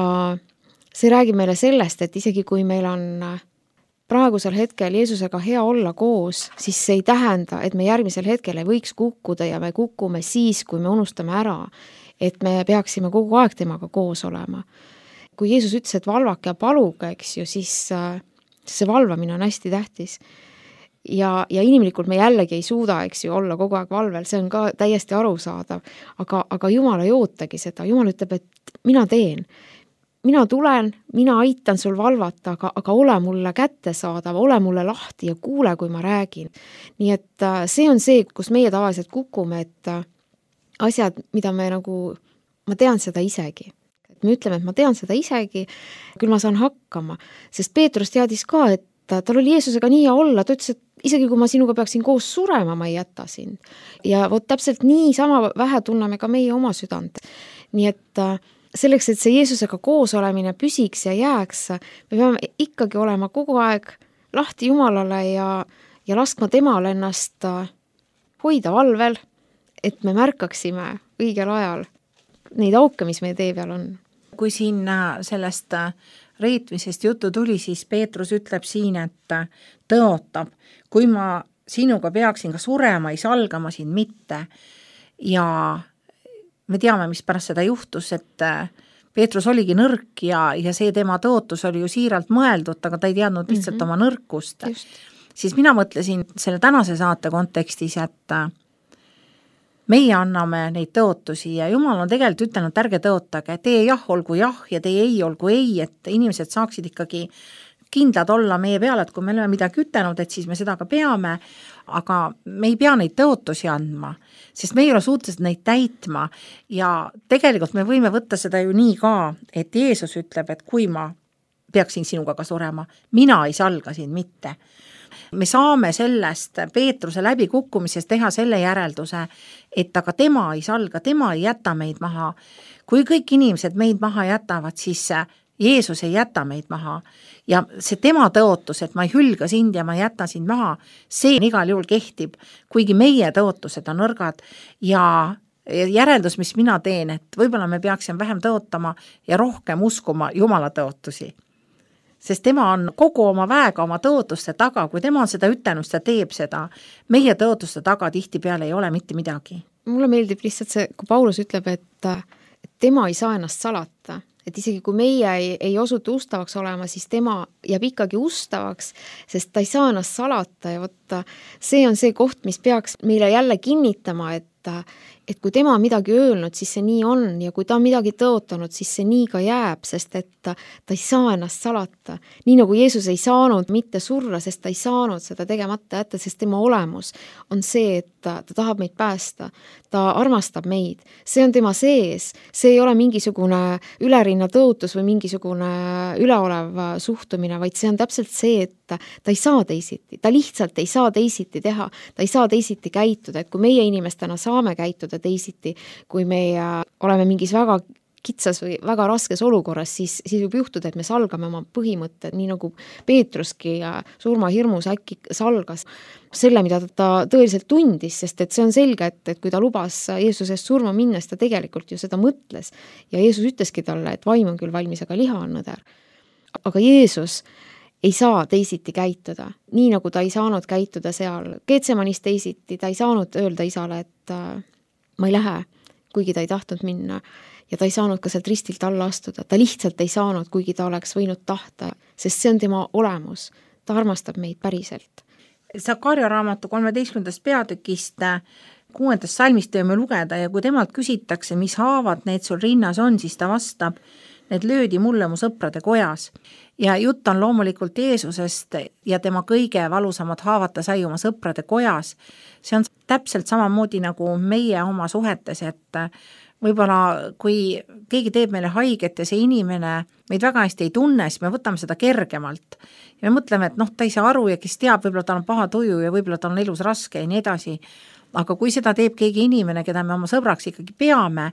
see räägib meile sellest, et isegi kui meil on praegusel hetkel Jeesusega hea olla koos, siis see ei tähenda, et me järgmisel hetkel ei võiks kukkuda ja me kukume siis, kui me unustame ära, et me peaksime kogu aeg temaga koos olema. Kui Jeesus ütles, et valvake ja paluge, eks ju, siis see valvamine on hästi tähtis. Ja inimlikult me jällegi ei suuda, eks ju, olla kogu aeg valvel, see on ka täiesti arusaadav. Aga Jumal ei ootagi seda. Jumal ütleb, et mina teen. Mina tulen, mina aitan sul valvata, aga ole mulle kättesaadav, ole mulle lahti ja kuule, kui ma räägin. Nii et see on see, kus meie tavaliselt kukume, et asjad, mida me nagu, ma tean seda isegi. Me ütleme, et ma tean seda isegi, küll ma saan hakkama, sest Peetrus teadis ka, et tal oli Jeesusega nii hea olla, ta ütles, et isegi kui ma sinuga peaksin koos surema, ma ei jäta sind. Ja vot täpselt nii sama vähe tunneme ka meie oma südant. Nii et selleks, et see Jeesusega koos olemine püsiks ja jääks, me peame ikkagi olema kogu aeg lahti Jumalale ja laskma temal ennast hoida valvel, et me märkaksime õigel ajal neid auke, mis meie tee peal on. Kui siin sellest reetmisest juttu tuli, siis Peetrus ütleb siin, et tõotab, kui ma sinuga peaksin ka surema, ei salgama sind mitte. Ja me teame, mis pärast seda juhtus, et Peetrus oligi nõrk ja see tema tõotus oli ju siiralt mõeldud, aga ta ei teadnud lihtsalt oma nõrkust. Siis mina mõtlesin selle tänase saate kontekstis, et meie anname neid tõotusi ja Jumal on tegelikult ütelnud, ärge tõotage, teie jah olgu jah ja teie ei olgu ei, et inimesed saaksid ikkagi kindlad olla meie peale, et kui me oleme midagi ütelnud, et siis me seda ka peame, aga me ei pea neid tõotusi andma, sest me ei ole suutelised neid täitma ja tegelikult me võime võtta seda ju nii ka, et Jeesus ütleb, et kui ma peaksin sinuga ka surema, mina ei salga sind mitte. Me saame sellest Peetruse läbikukkumisest teha selle järelduse, et aga tema ei salga, tema ei jäta meid maha. Kui kõik inimesed meid maha jätavad, siis Jeesus ei jäta meid maha. Ja see tema tõotus, et ma ei hülga sind ja ma ei jäta sind maha, see igal juhul kehtib, kuigi meie tõotused on nõrgad ja järeldus, mis mina teen, et võib-olla me peaksime vähem tõotama ja rohkem uskuma Jumala tõotusi. Sest tema on kogu oma väega oma tõotuste taga, kui tema on seda ütelnud, ta teeb seda. Meie tõotuste taga tihtipeale ei ole mitte midagi. Mulle meeldib lihtsalt see, kui Paulus ütleb, et tema ei saa ennast salata. et isegi kui meie ei osutu ustavaks olema, siis tema jääb ikkagi ustavaks, sest ta ei saa ennast salata ja võtta. See on see koht, mis peaks meile jälle kinnitama, et kui tema on midagi öelnud, siis see nii on ja kui ta on midagi tõotanud, siis see nii ka jääb, sest et ta ei saa ennast salata. Nii nagu Jeesus ei saanud mitte surra, sest ta ei saanud seda tegemata jätta, sest tema olemus on see, et ta tahab meid päästa. Ta armastab meid. See on tema sees. See ei ole mingisugune ülerinna tõotus või mingisugune üleolev suhtumine, vaid see on täpselt see, et ta ei saa teisiti. Ta lihtsalt ei saa teisiti teha. Ta ei saa teisiti käituda. Et kui meie inimestena saame käituda teisiti, kui me oleme mingis väga kitsas või väga raskes olukorras, siis võib juhtuda, et me salgame oma põhimõtted, nii nagu Peetruski ja surmahirmus äkki salgas selle, mida ta tõeliselt tundis, sest et see on selge, et kui ta lubas Jeesusest surma minnes, ta tegelikult ju seda mõtles. Ja Jeesus ütleski talle, et vaim on küll valmis, aga liha on nõder. Aga Jeesus ei saa teisiti käituda, nii nagu ta ei saanud käituda seal Geetsemanis teisiti, ta ei saanud öelda isale, et ma ei lähe, kuigi ta ei tahtnud minna ja ta ei saanud ka sealt ristilt alla astuda. Ta lihtsalt ei saanud, kuigi ta oleks võinud tahta, sest see on tema olemus. Ta armastab meid päriselt. Sakarja raamatu 13. peatükist 6. salmist võime lugeda ja kui temalt küsitakse, mis haavad need sul rinnas on, siis ta vastab, need löödi mulle mu sõprade kojas. Ja jutt on loomulikult Jeesusest ja tema kõige valusamad haavata sai oma sõprade kojas. See on täpselt samamoodi nagu meie oma suhetes, et võib-olla kui keegi teeb meile haiget ja see inimene meid väga hästi ei tunne, siis me võtame seda kergemalt. Ja me mõtleme, et ta ei saa aru ja kes teab, võib-olla tal on paha tuju ja võib-olla tal on elus raske ja nii edasi. Aga kui seda teeb keegi inimene, keda me oma sõbraks ikkagi peame,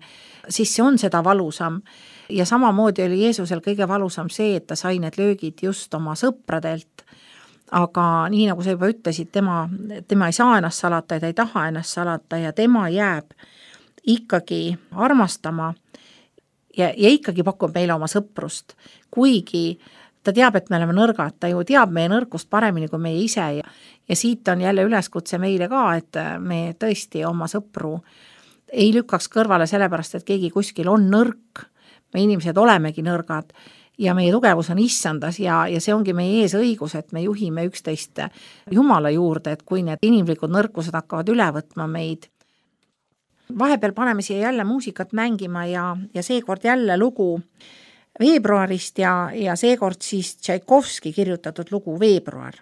siis see on seda valusam. Ja samamoodi oli Jeesusel kõige valusam see, et ta sai need löögid just oma sõpradelt. Aga nii nagu sa juba ütlesid, tema ei saa ennast salata ja ta ei taha ennast salata ja tema jääb ikkagi armastama ja ikkagi pakub meile oma sõprust, kuigi ta teab, et me oleme nõrgad, ta ju teab meie nõrkust paremini kui meie ise ja siit on jälle üleskutse meile ka, et me tõesti oma sõpru ei lükkaks kõrvale sellepärast, et keegi kuskil on nõrk, me inimesed olemegi nõrgad ja meie tugevus on issandas ja see ongi meie ees õigus, et me juhime üksteist Jumala juurde, et kui need inimlikud nõrkused hakkavad üle võtma meid. Vahepeal paneme siia jälle muusikat mängima ja seekord jälle lugu veebruarist ja seekord siis Tšaikovski kirjutatud lugu Veebruar.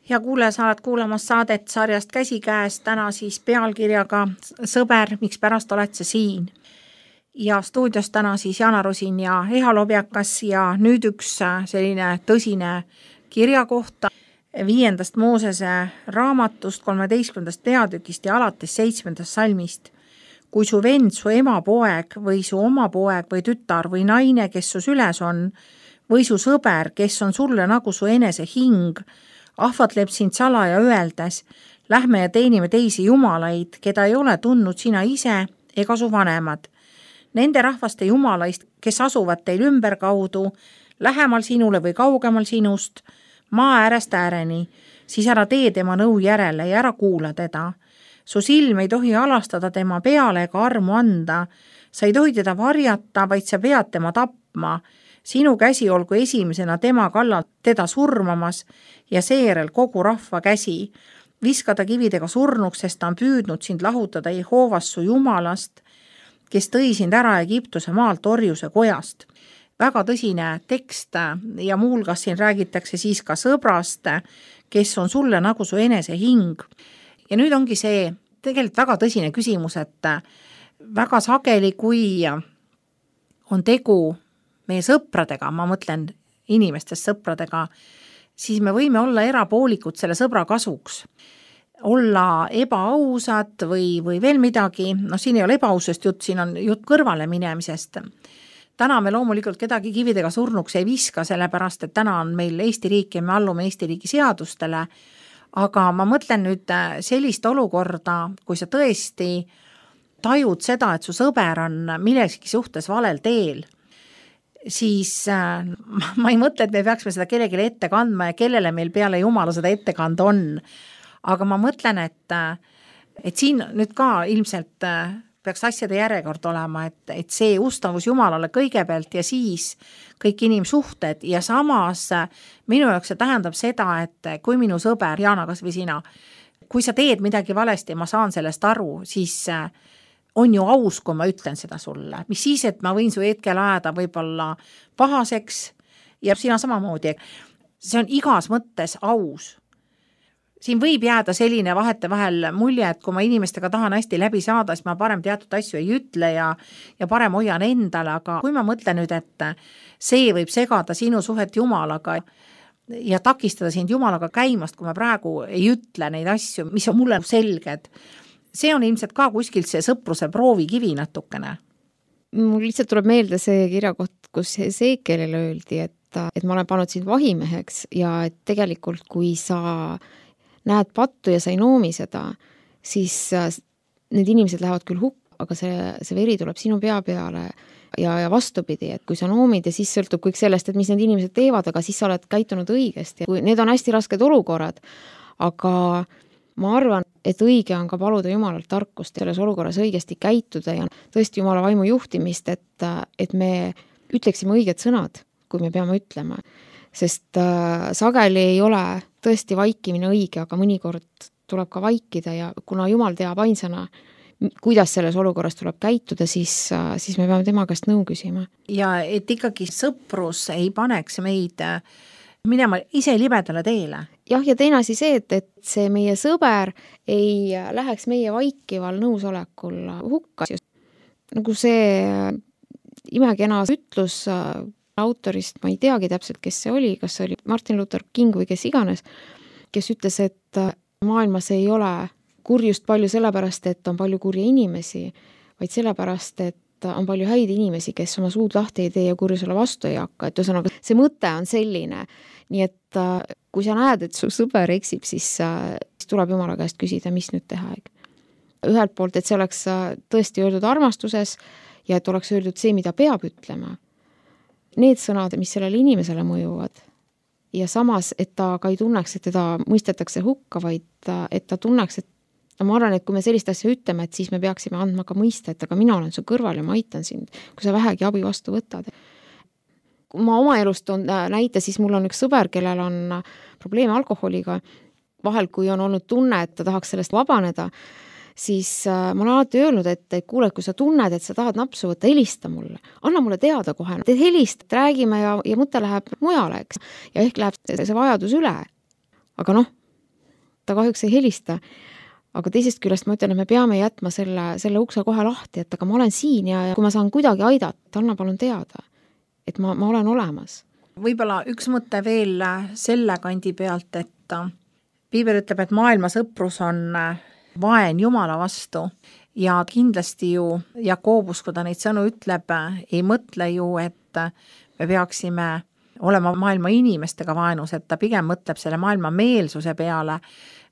Hea kuulaja, sa oled kuulamas saadet sarjast Käsikäes, täna siis pealkirjaga Sõber, miks pärast oled sa siin? Ja stuudios täna siis Jana Rosin ja Eha Lobjakas ja nüüd üks selline tõsine kirja kohta 5. Moosese raamatust 13. peatükist ja alates 7. salmist. Kui su vend, su ema poeg või su oma poeg või tütar või naine, kes su süles on, või su sõber, kes on sulle nagu su enese hing, ahvatleb sind salaja öeldes, lähme ja teenime teisi jumalaid, keda ei ole tundnud sina ise ega su vanemad. Nende rahvaste jumalaist, kes asuvad teil ümberkaudu, lähemal sinule või kaugemal sinust, maa äärest ääreni, siis ära tee tema nõu järele ja ära kuula teda. Su silm ei tohi alastada tema peale ega armu anda, sa ei tohi teda varjata, vaid sa pead tema tapma. Sinu käsi olgu esimesena tema kallal teda surmamas ja seejärel kogu rahva käsi. Viskada kividega surnuks, sest ta on püüdnud sind lahutada Jehoovast su jumalast, kes tõi sind ära Egiptuse maalt orjuse kojast. Väga tõsine tekst ja muulgas siin räägitakse siis ka sõbrast, kes on sulle nagu su enese hing. Ja nüüd ongi see tegelikult väga tõsine küsimus, et väga sageli, kui on tegu meie sõpradega, ma mõtlen inimestest sõpradega, siis me võime olla erapoolikud selle sõbra kasuks. Olla ebaausad või veel midagi, siin ei ole ebaausest jutt, siin on jutt kõrvale minemisest. Täna me loomulikult kedagi kividega surnuks ei viska, sellepärast, et täna on meil Eesti riik ja me allume Eesti riigi seadustele, aga ma mõtlen nüüd sellist olukorda, kui sa tõesti tajud seda, et su sõber on millegi suhtes valel teel, siis ma ei mõtle, et me peaksime seda kellelegi ette kandma ja kellele meil peale Jumala seda ette kanda on. Aga ma mõtlen, et siin nüüd ka ilmselt peaks asjade järjekord olema, et see ustavus Jumalale kõigepealt ja siis kõik inimsuhted ja samas minu jaoks see tähendab seda, et kui minu sõber, Jana, kas või sina, kui sa teed midagi valesti ja ma saan sellest aru, siis on ju aus, kui ma ütlen seda sulle. Mis siis, et ma võin su hetkel ajada võib-olla pahaseks ja sina samamoodi. See on igas mõttes aus. Siin võib jääda selline vahetevahel mulje, et kui ma inimestega tahan hästi läbi saada, siis ma parem teatud asju ei ütle ja parem hoian endale, aga kui ma mõtlen nüüd, et see võib segada sinu suhet Jumalaga ja takistada sind Jumalaga käimast, kui ma praegu ei ütle neid asju, mis on mulle selged, see on ilmselt ka kuskilt see sõpruse proovikivi natukene. Mul lihtsalt tuleb meelde see kirjakoht, kus Ezekielile öeldi, et ma olen pannud sind vahimeheks ja et tegelikult kui sa näed pattu ja sa ei noomi seda, siis need inimesed lähevad küll hukka, aga see veri tuleb sinu pea peale ja vastupidi, et kui sa noomid ja siis sõltub kõik sellest, et mis need inimesed teevad, aga siis sa oled käitunud õigesti. Need on hästi rasked olukorrad, aga ma arvan, et õige on ka paluda Jumalalt tarkust selles olukorras õigesti käituda ja tõesti Jumala vaimu juhtimist, et me ütleksime õiged sõnad, kui me peame ütlema. Sest sageli ei ole tõesti vaikimine õige, aga mõnikord tuleb ka vaikida ja kuna Jumal teab ainsana, kuidas selles olukorras tuleb käituda, siis me peame tema käest nõu küsima. Ja et ikkagi sõprus ei paneks meid minema ise libedale teele. Jah, ja teine asi see, et see meie sõber ei läheks meie vaikival nõusolekul hukka. Nagu see imekena ütlus autorist, ma ei teagi täpselt, kes see oli, kas see oli Martin Luther King või kes iganes, kes ütles, et maailmas ei ole kurjust palju sellepärast, et on palju kurja inimesi, vaid sellepärast, et on palju häid inimesi, kes oma suud lahti ei tee ja kurjusele vastu ei hakka. Et ühesõnaga, see mõte on selline. Nii et kui sa näed, et su sõber eksib, siis tuleb Jumala käest küsida, mis nüüd teha. Ühelt poolt, et see oleks tõesti öeldud armastuses ja et oleks öeldud see, mida peab ütlema. Need sõnad, mis sellele inimesele mõjuvad ja samas, et ta ka ei tunneks, et teda mõistetakse hukka, vaid et ta tunneks, et ma arvan, et kui me sellist asja ütleme, et siis me peaksime andma ka mõista, et aga mina olen su kõrval ja ma aitan sind, kui sa vähegi abi vastu võtad. Kui ma oma elust näite, siis mul on üks sõber, kellel on probleeme alkoholiga. Vahel, kui on olnud tunne, et ta tahaks sellest vabaneda, siis ma olen alati öelnud, et kuule, kui sa tunned, et sa tahad napsu võtta, helista mulle. Anna mulle teada kohe. Te helist, räägime ja mõte läheb mujale, eks. Ja ehk läheb see vajadus üle. Aga ta kahjuks ei helista. Aga teisest küljest ma ütlen, et me peame jätma selle ukse kohe lahti, et aga ma olen siin ja kui ma saan kuidagi aidata, anna palun teada, et ma olen olemas. Võib-olla üks mõte veel selle kandi pealt, et Piibel ütleb, et maailma sõprus on vaen Jumala vastu ja kindlasti ju Jakobus, kui ta neid sõnu ütleb, ei mõtle ju, et me peaksime olema maailma inimestega vaenus, et ta pigem mõtleb selle maailma meelsuse peale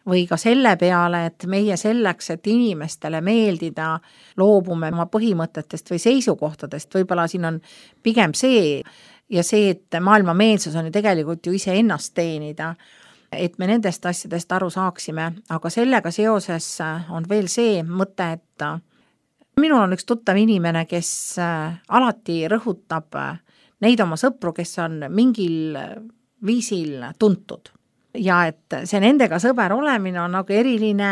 või ka selle peale, et meie selleks, et inimestele meeldida, loobume oma põhimõtetest või seisukohtadest, võib-olla siin on pigem see ja see, et maailma meelsus on ju tegelikult ju ise ennast teenida, et me nendest asjadest aru saaksime, aga sellega seoses on veel see mõte, et minul on üks tuttav inimene, kes alati rõhutab neid oma sõpru, kes on mingil viisil tuntud ja et see nendega sõber olemine on nagu eriline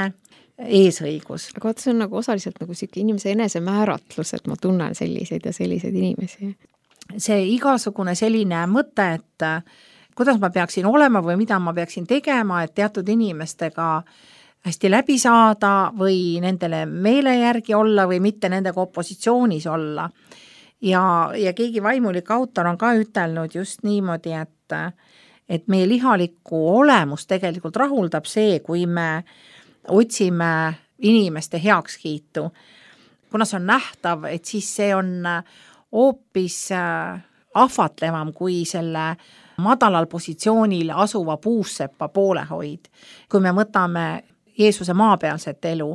eesõigus. Aga vaata, see on nagu osaliselt nagu siuke inimese enesemääratlus, et ma tunnen selliseid ja selliseid inimesi. See igasugune selline mõte, et kuidas ma peaksin olema või mida ma peaksin tegema, et teatud inimestega hästi läbi saada või nendele meele järgi olla või mitte nendega opositsioonis olla. Ja keegi vaimulik autor on ka ütelnud just niimoodi, et meie lihalikku olemus tegelikult rahuldab see, kui me otsime inimeste heakskiitu. Kuna see on nähtav, et siis see on hoopis ahvatlevam kui selle madalal positsioonil asuva puussepa poolehoid. Kui me võtame Jeesuse maapealset elu,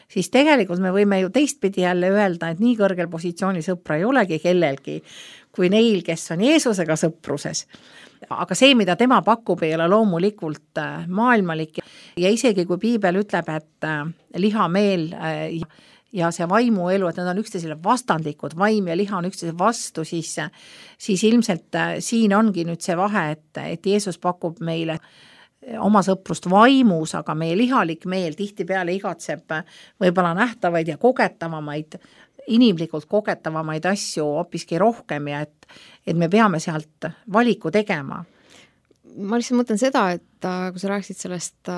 siis tegelikult me võime ju teistpidi jälle öelda, et nii kõrgel positsiooni sõpra ei olegi kellelgi kui neil, kes on Jeesusega sõpruses. Aga see, mida tema pakub, ei ole loomulikult maailmalik ja isegi kui Piibel ütleb, et lihameel ja see vaimuelu, et need on üksteisele vastandlikud, vaim ja liha on üksteise vastu, siis ilmselt siin ongi nüüd see vahe, et Jeesus pakub meile oma sõprust vaimus, aga meie lihalik meel tihtipeale igatseb võib-olla nähtavaid ja kogetavamaid, inimlikult kogetavamaid asju hoopiski rohkem ja et me peame sealt valiku tegema. Ma lihtsalt mõtlen seda, et kui sa rääkisid sellest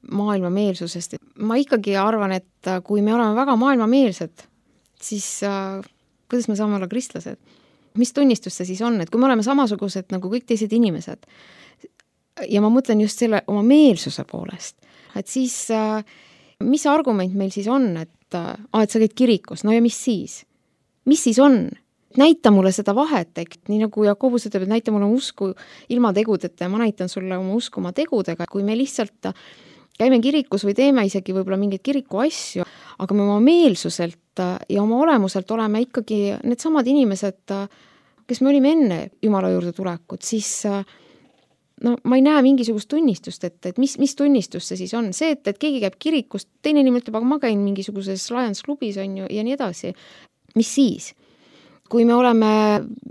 maailmameelsusest, ma ikkagi arvan, et kui me oleme väga maailmameelsed, siis kuidas me saame olla kristlased? Mis tunnistus see siis on, et kui me oleme samasugused nagu kõik teised inimesed ja ma mõtlen just selle oma meelsuse poolest, et siis mis argument meil siis on, et sa käid kirikus, no ja mis siis? Mis siis on? Näita mulle seda vahet, nii nagu Jakobus ütleb, et näita mulle usku ilma tegudeta ja ma näitan sulle oma usku oma tegudega. Kui me lihtsalt käime kirikus või teeme isegi võib-olla mingeid kiriku asju, aga me oma meelsuselt ja oma olemuselt oleme ikkagi need samad inimesed, kes me olime enne Jumala juurde tulekut, siis no ma ei näe mingisugust tunnistust, et mis tunnistus see siis on. See, et keegi käib kirikust, teine inimene ütleb, aga ma käin mingisuguses Lions klubis on ju ja nii edasi. Mis siis? Kui me oleme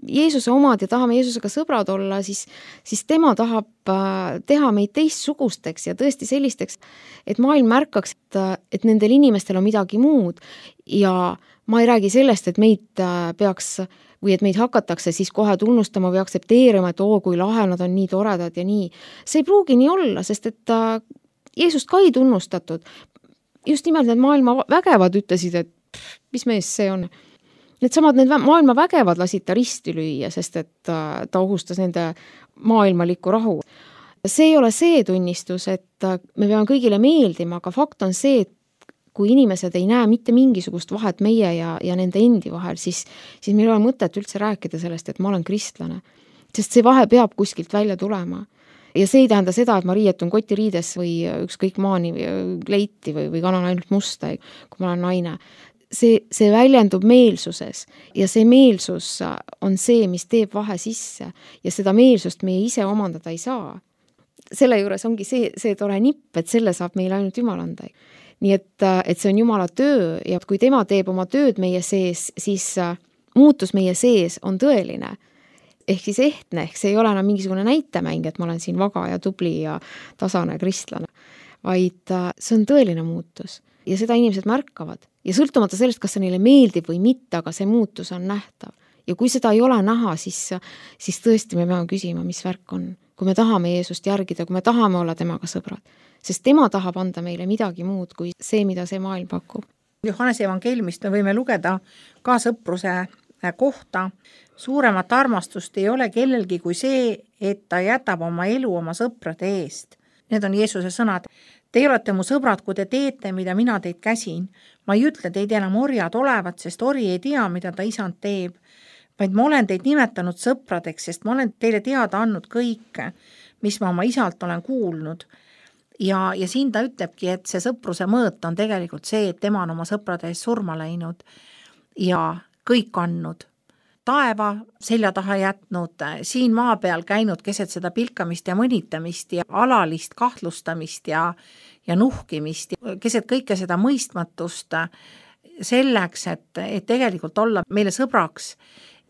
Jeesuse omad ja tahame Jeesusega sõbrad olla, siis tema tahab teha meid teistsugusteks ja tõesti sellisteks, et maailm märkaks, et nendel inimestel on midagi muud ja ma ei räägi sellest, et meid peaks või et meid hakatakse siis kohe tunnustama või aktsepteerima, et kui lahe nad on nii toredad ja nii. See ei pruugi nii olla, sest et Jeesust ka ei tunnustatud. Just nimelt need maailma vägevad ütlesid, et mis mees see on. Need maailma vägevad lasid ta risti lüüa, sest et ta ohustas nende maailmalikku rahu. See ei ole see tunnistus, et me peame kõigile meeldima, aga fakt on see, et kui inimesed ei näe mitte mingisugust vahet meie ja nende endi vahel, siis meil ei ole mõtet üldse rääkida sellest, et ma olen kristlane. Sest see vahe peab kuskilt välja tulema. Ja see ei tähenda seda, et ma riietun kotiriides või ükskõik maani leiti või kannan ainult musta, kui ma olen naine. See väljendub meelsuses ja see meelsus on see, mis teeb vahe sisse ja seda meelsust meie ise omandada ei saa. Selle juures ongi see tore nipp, et selle saab meile ainult Jumal anda. Nii et see on Jumala töö ja kui tema teeb oma tööd meie sees, siis muutus meie sees on tõeline. Ehk siis ehtne, ehk see ei ole enam mingisugune näitemäng, et ma olen siin vaga ja tubli ja tasane kristlane, vaid see on tõeline muutus ja seda inimesed märkavad. Ja sõltumata sellest, kas see neile meeldib või mitte, aga see muutus on nähtav. Ja kui seda ei ole näha, siis tõesti me peame küsima, mis värk on. Kui me tahame Jeesust järgida, kui me tahame olla temaga sõbrad, sest tema tahab anda meile midagi muud kui see, mida see maailm pakub. Johannese evangeeliumist me võime lugeda ka sõpruse kohta. Suuremat armastust ei ole kellelgi kui see, et ta jätab oma elu oma sõprade eest. Need on Jeesuse sõnad. Te olete mu sõbrad, kui te teete, mida mina teid käsin. Ma ei ütle teid enam orjad olevat, sest ori ei tea, mida ta isand teeb, vaid ma olen teid nimetanud sõpradeks, sest ma olen teile teada andnud kõike, mis ma oma isalt olen kuulnud. Ja siin ta ütlebki, et see sõpruse mõõt on tegelikult see, et tema on oma sõprade eest surma läinud ja kõik andnud. Taeva selja taha jätnud, siin maa peal käinud keset seda pilkamist ja mõnitamist ja alalist kahtlustamist ja nuhkimist, keset kõike seda mõistmatust selleks, et tegelikult olla meile sõbraks,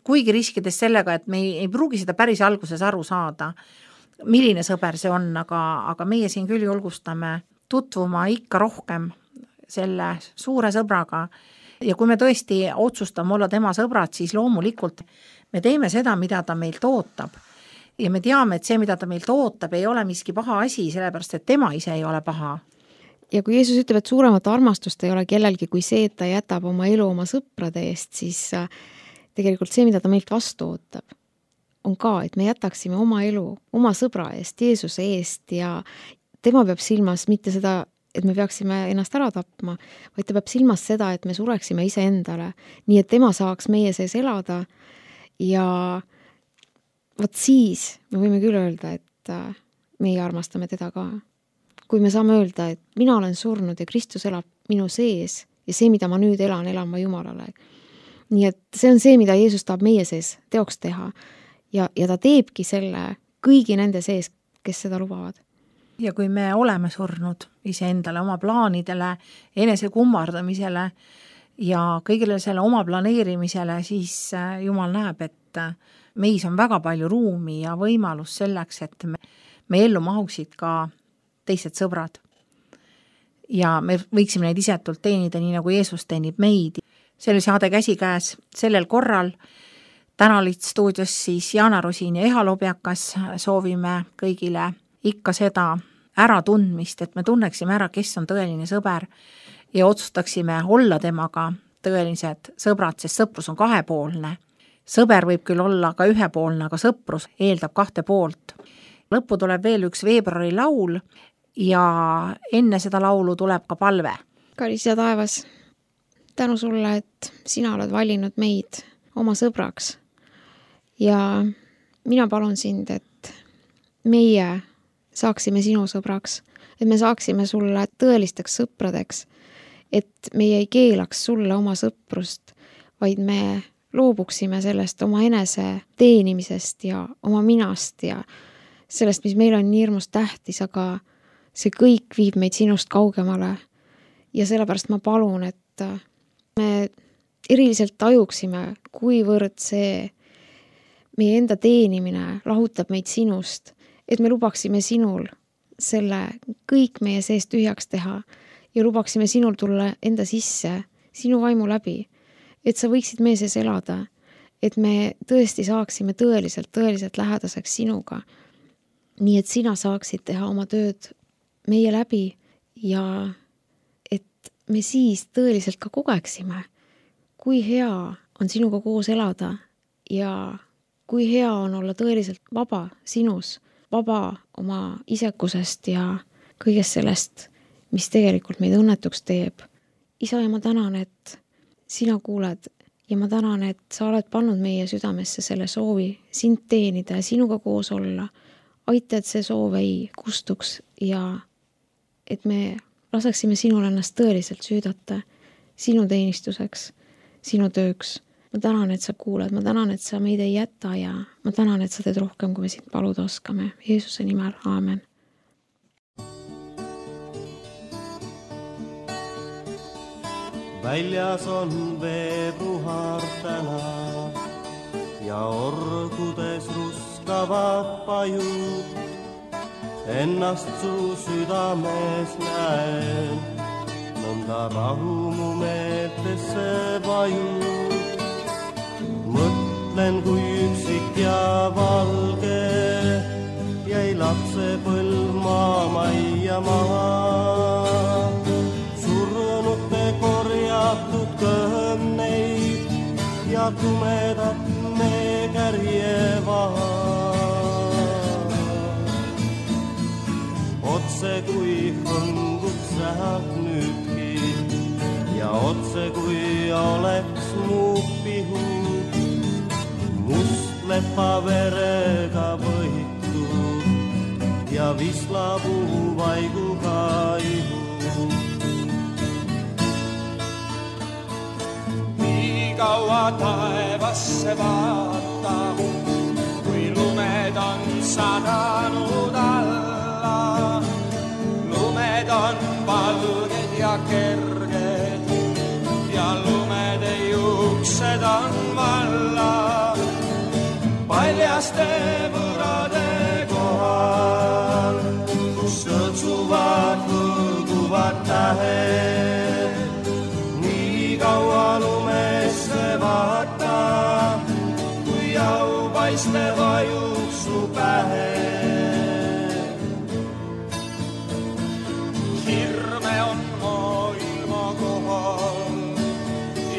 kuigi riskides sellega, et me ei pruugi seda päris alguses aru saada, milline sõber see on, aga meie siin küll julgustame tutvuma ikka rohkem selle suure sõbraga. Ja kui me tõesti otsustame olla tema sõbrad, siis loomulikult me teeme seda, mida ta meilt ootab. Ja me teame, et see, mida ta meilt ootab, ei ole miski paha asi, sellepärast, et tema ise ei ole paha. Ja kui Jeesus ütleb, et suuremat armastust ei ole kellelgi kui see, et ta jätab oma elu oma sõprade eest, siis tegelikult see, mida ta meilt vastu ootab, on ka, et me jätaksime oma elu oma sõbra eest, Jeesuse eest ja tema peab silmas mitte seda, et me peaksime ennast ära tapma, vaid ta peab silmas seda, et me sureksime ise endale, nii et tema saaks meie sees elada ja vot siis me võime küll öelda, et meie armastame teda ka. Kui me saame öelda, et mina olen surnud ja Kristus elab minu sees ja see, mida ma nüüd elan ma Jumalale. Nii et see on see, mida Jeesus tahab meie sees teoks teha ja ta teebki selle kõigi nende sees, kes seda lubavad. Ja kui me oleme surnud iseendale, oma plaanidele, enese kummardamisele ja kõigile selle oma planeerimisele, siis Jumal näeb, et meis on väga palju ruumi ja võimalus selleks, et me ellu mahuksid ka teised sõbrad. Ja me võiksime neid isetult teenida, nii nagu Jeesus teenib meid. Selle saade käsikäes sellel korral. Täna olid stuudios siis Jaana Rosin ja Eha Lobjakas. Soovime kõigile ikka seda äratundmist, et me tunneksime ära, kes on tõeline sõber ja otsustaksime olla temaga tõelised sõbrad, sest sõprus on kahepoolne. Sõber võib küll olla ka ühepoolne, aga sõprus eeldab kahte poolt. Lõppu tuleb veel üks veebruari laul ja enne seda laulu tuleb ka palve. Kallis ja taevas, tänu sulle, et sina oled valinud meid oma sõbraks ja mina palun sind, et meie saaksime sinu sõbraks, et me saaksime sulle tõelisteks sõpradeks, et meie ei keelaks sulle oma sõprust, vaid me loobuksime sellest oma enese teenimisest ja oma minast ja sellest, mis meil on nii hirmus tähtis, aga see kõik viib meid sinust kaugemale. Ja sellepärast ma palun, et me eriliselt tajuksime, kuivõrd see meie enda teenimine lahutab meid sinust, et me lubaksime sinul selle kõik meie sees tühjaks teha ja lubaksime sinul tulla enda sisse, sinu vaimu läbi, et sa võiksid meie sees elada, et me tõesti saaksime tõeliselt lähedaseks sinuga, nii et sina saaksid teha oma tööd meie läbi ja et me siis tõeliselt ka kogeksime, kui hea on sinuga koos elada ja kui hea on olla tõeliselt vaba sinus, vaba oma isekusest ja kõigest sellest, mis tegelikult meid õnnetuks teeb. Isa, ja ma tänan, et sina kuuled ja ma tänan, et sa oled pannud meie südamesse selle soovi sind teenida ja sinuga koos olla. Aita, et see soov ei kustuks ja et me laseksime sinul ennast tõeliselt süüdata sinu teenistuseks, sinu tööks. Ma tänan, et sa kuuled, ma tänan, et sa meid ei jäta ja ma tänan, et sa teed rohkem, kui me sind paluda oskame. Jeesuse nimel, aamen. Väljas on veebruar täna ja orgudes ruskavad pajud. Ennast su südames näen, nõnda rahu mu meeltesse vajub. Mõtlen, kui üksik ja valge jäi lapsepõlv maamajja maha. Surnute korjatud kõhneid ja tumedat meekärje vaha. Otse kui hõngub sähalt nüüdki ja otse kui oleks mu pihu must lepa verega võitud ja vislapuu vaiguga ihu. Nii kaua taevasse vaata, kui lumed on sadanud alla. Lumed on valged ja kerged ja lumede juuksed on valla. Paljaste võrade kohal, kus sõtsuvad hõõguvad tähed. Nii kaua lumesse vaata, kui aupaiste vajub su pähe. Hirme on maailma kohal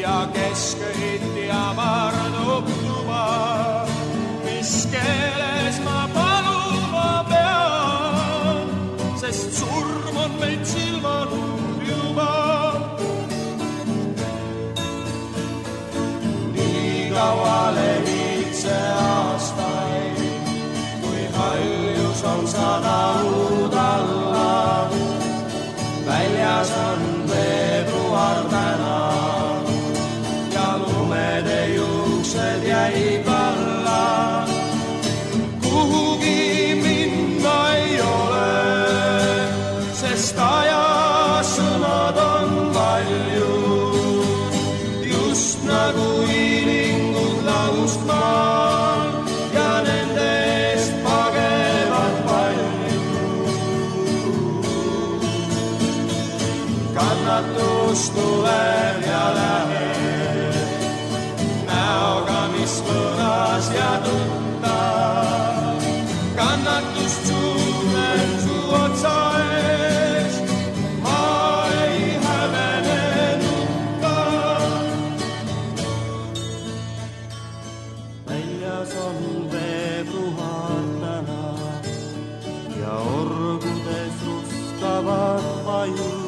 ja keskõiti amardub tuba. Mis keeles ma paluma pean, sest surm on meid silmanud juba. Nii kaua lehid see aastaid, kui haljus on sadanud alla. Väljas on veebruar täna ja lumede juuksed jäib alla. Kuhugi minna ei ole, sest ajasõnad on palju. Just nagu hiilingud laust maal ja nende eest pagevad palju. Kannatus tuleb ja läheb, näoga mis võõras ja tutta. Kannatust suunen su otsa ees, ma ei hävene nutta. Väljas on veebruar täna ja orgudes ruskavad pajud.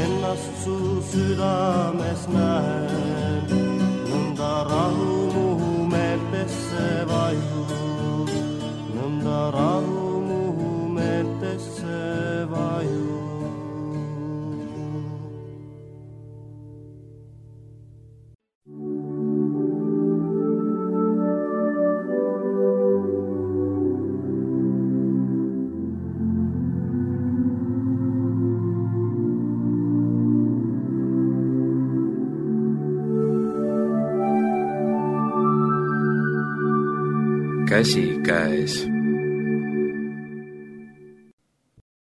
Ennast su südames näen, nõnda rahu mu meeltesse vajub, nõnda rahu mu meeltesse vajub. Käsi käes.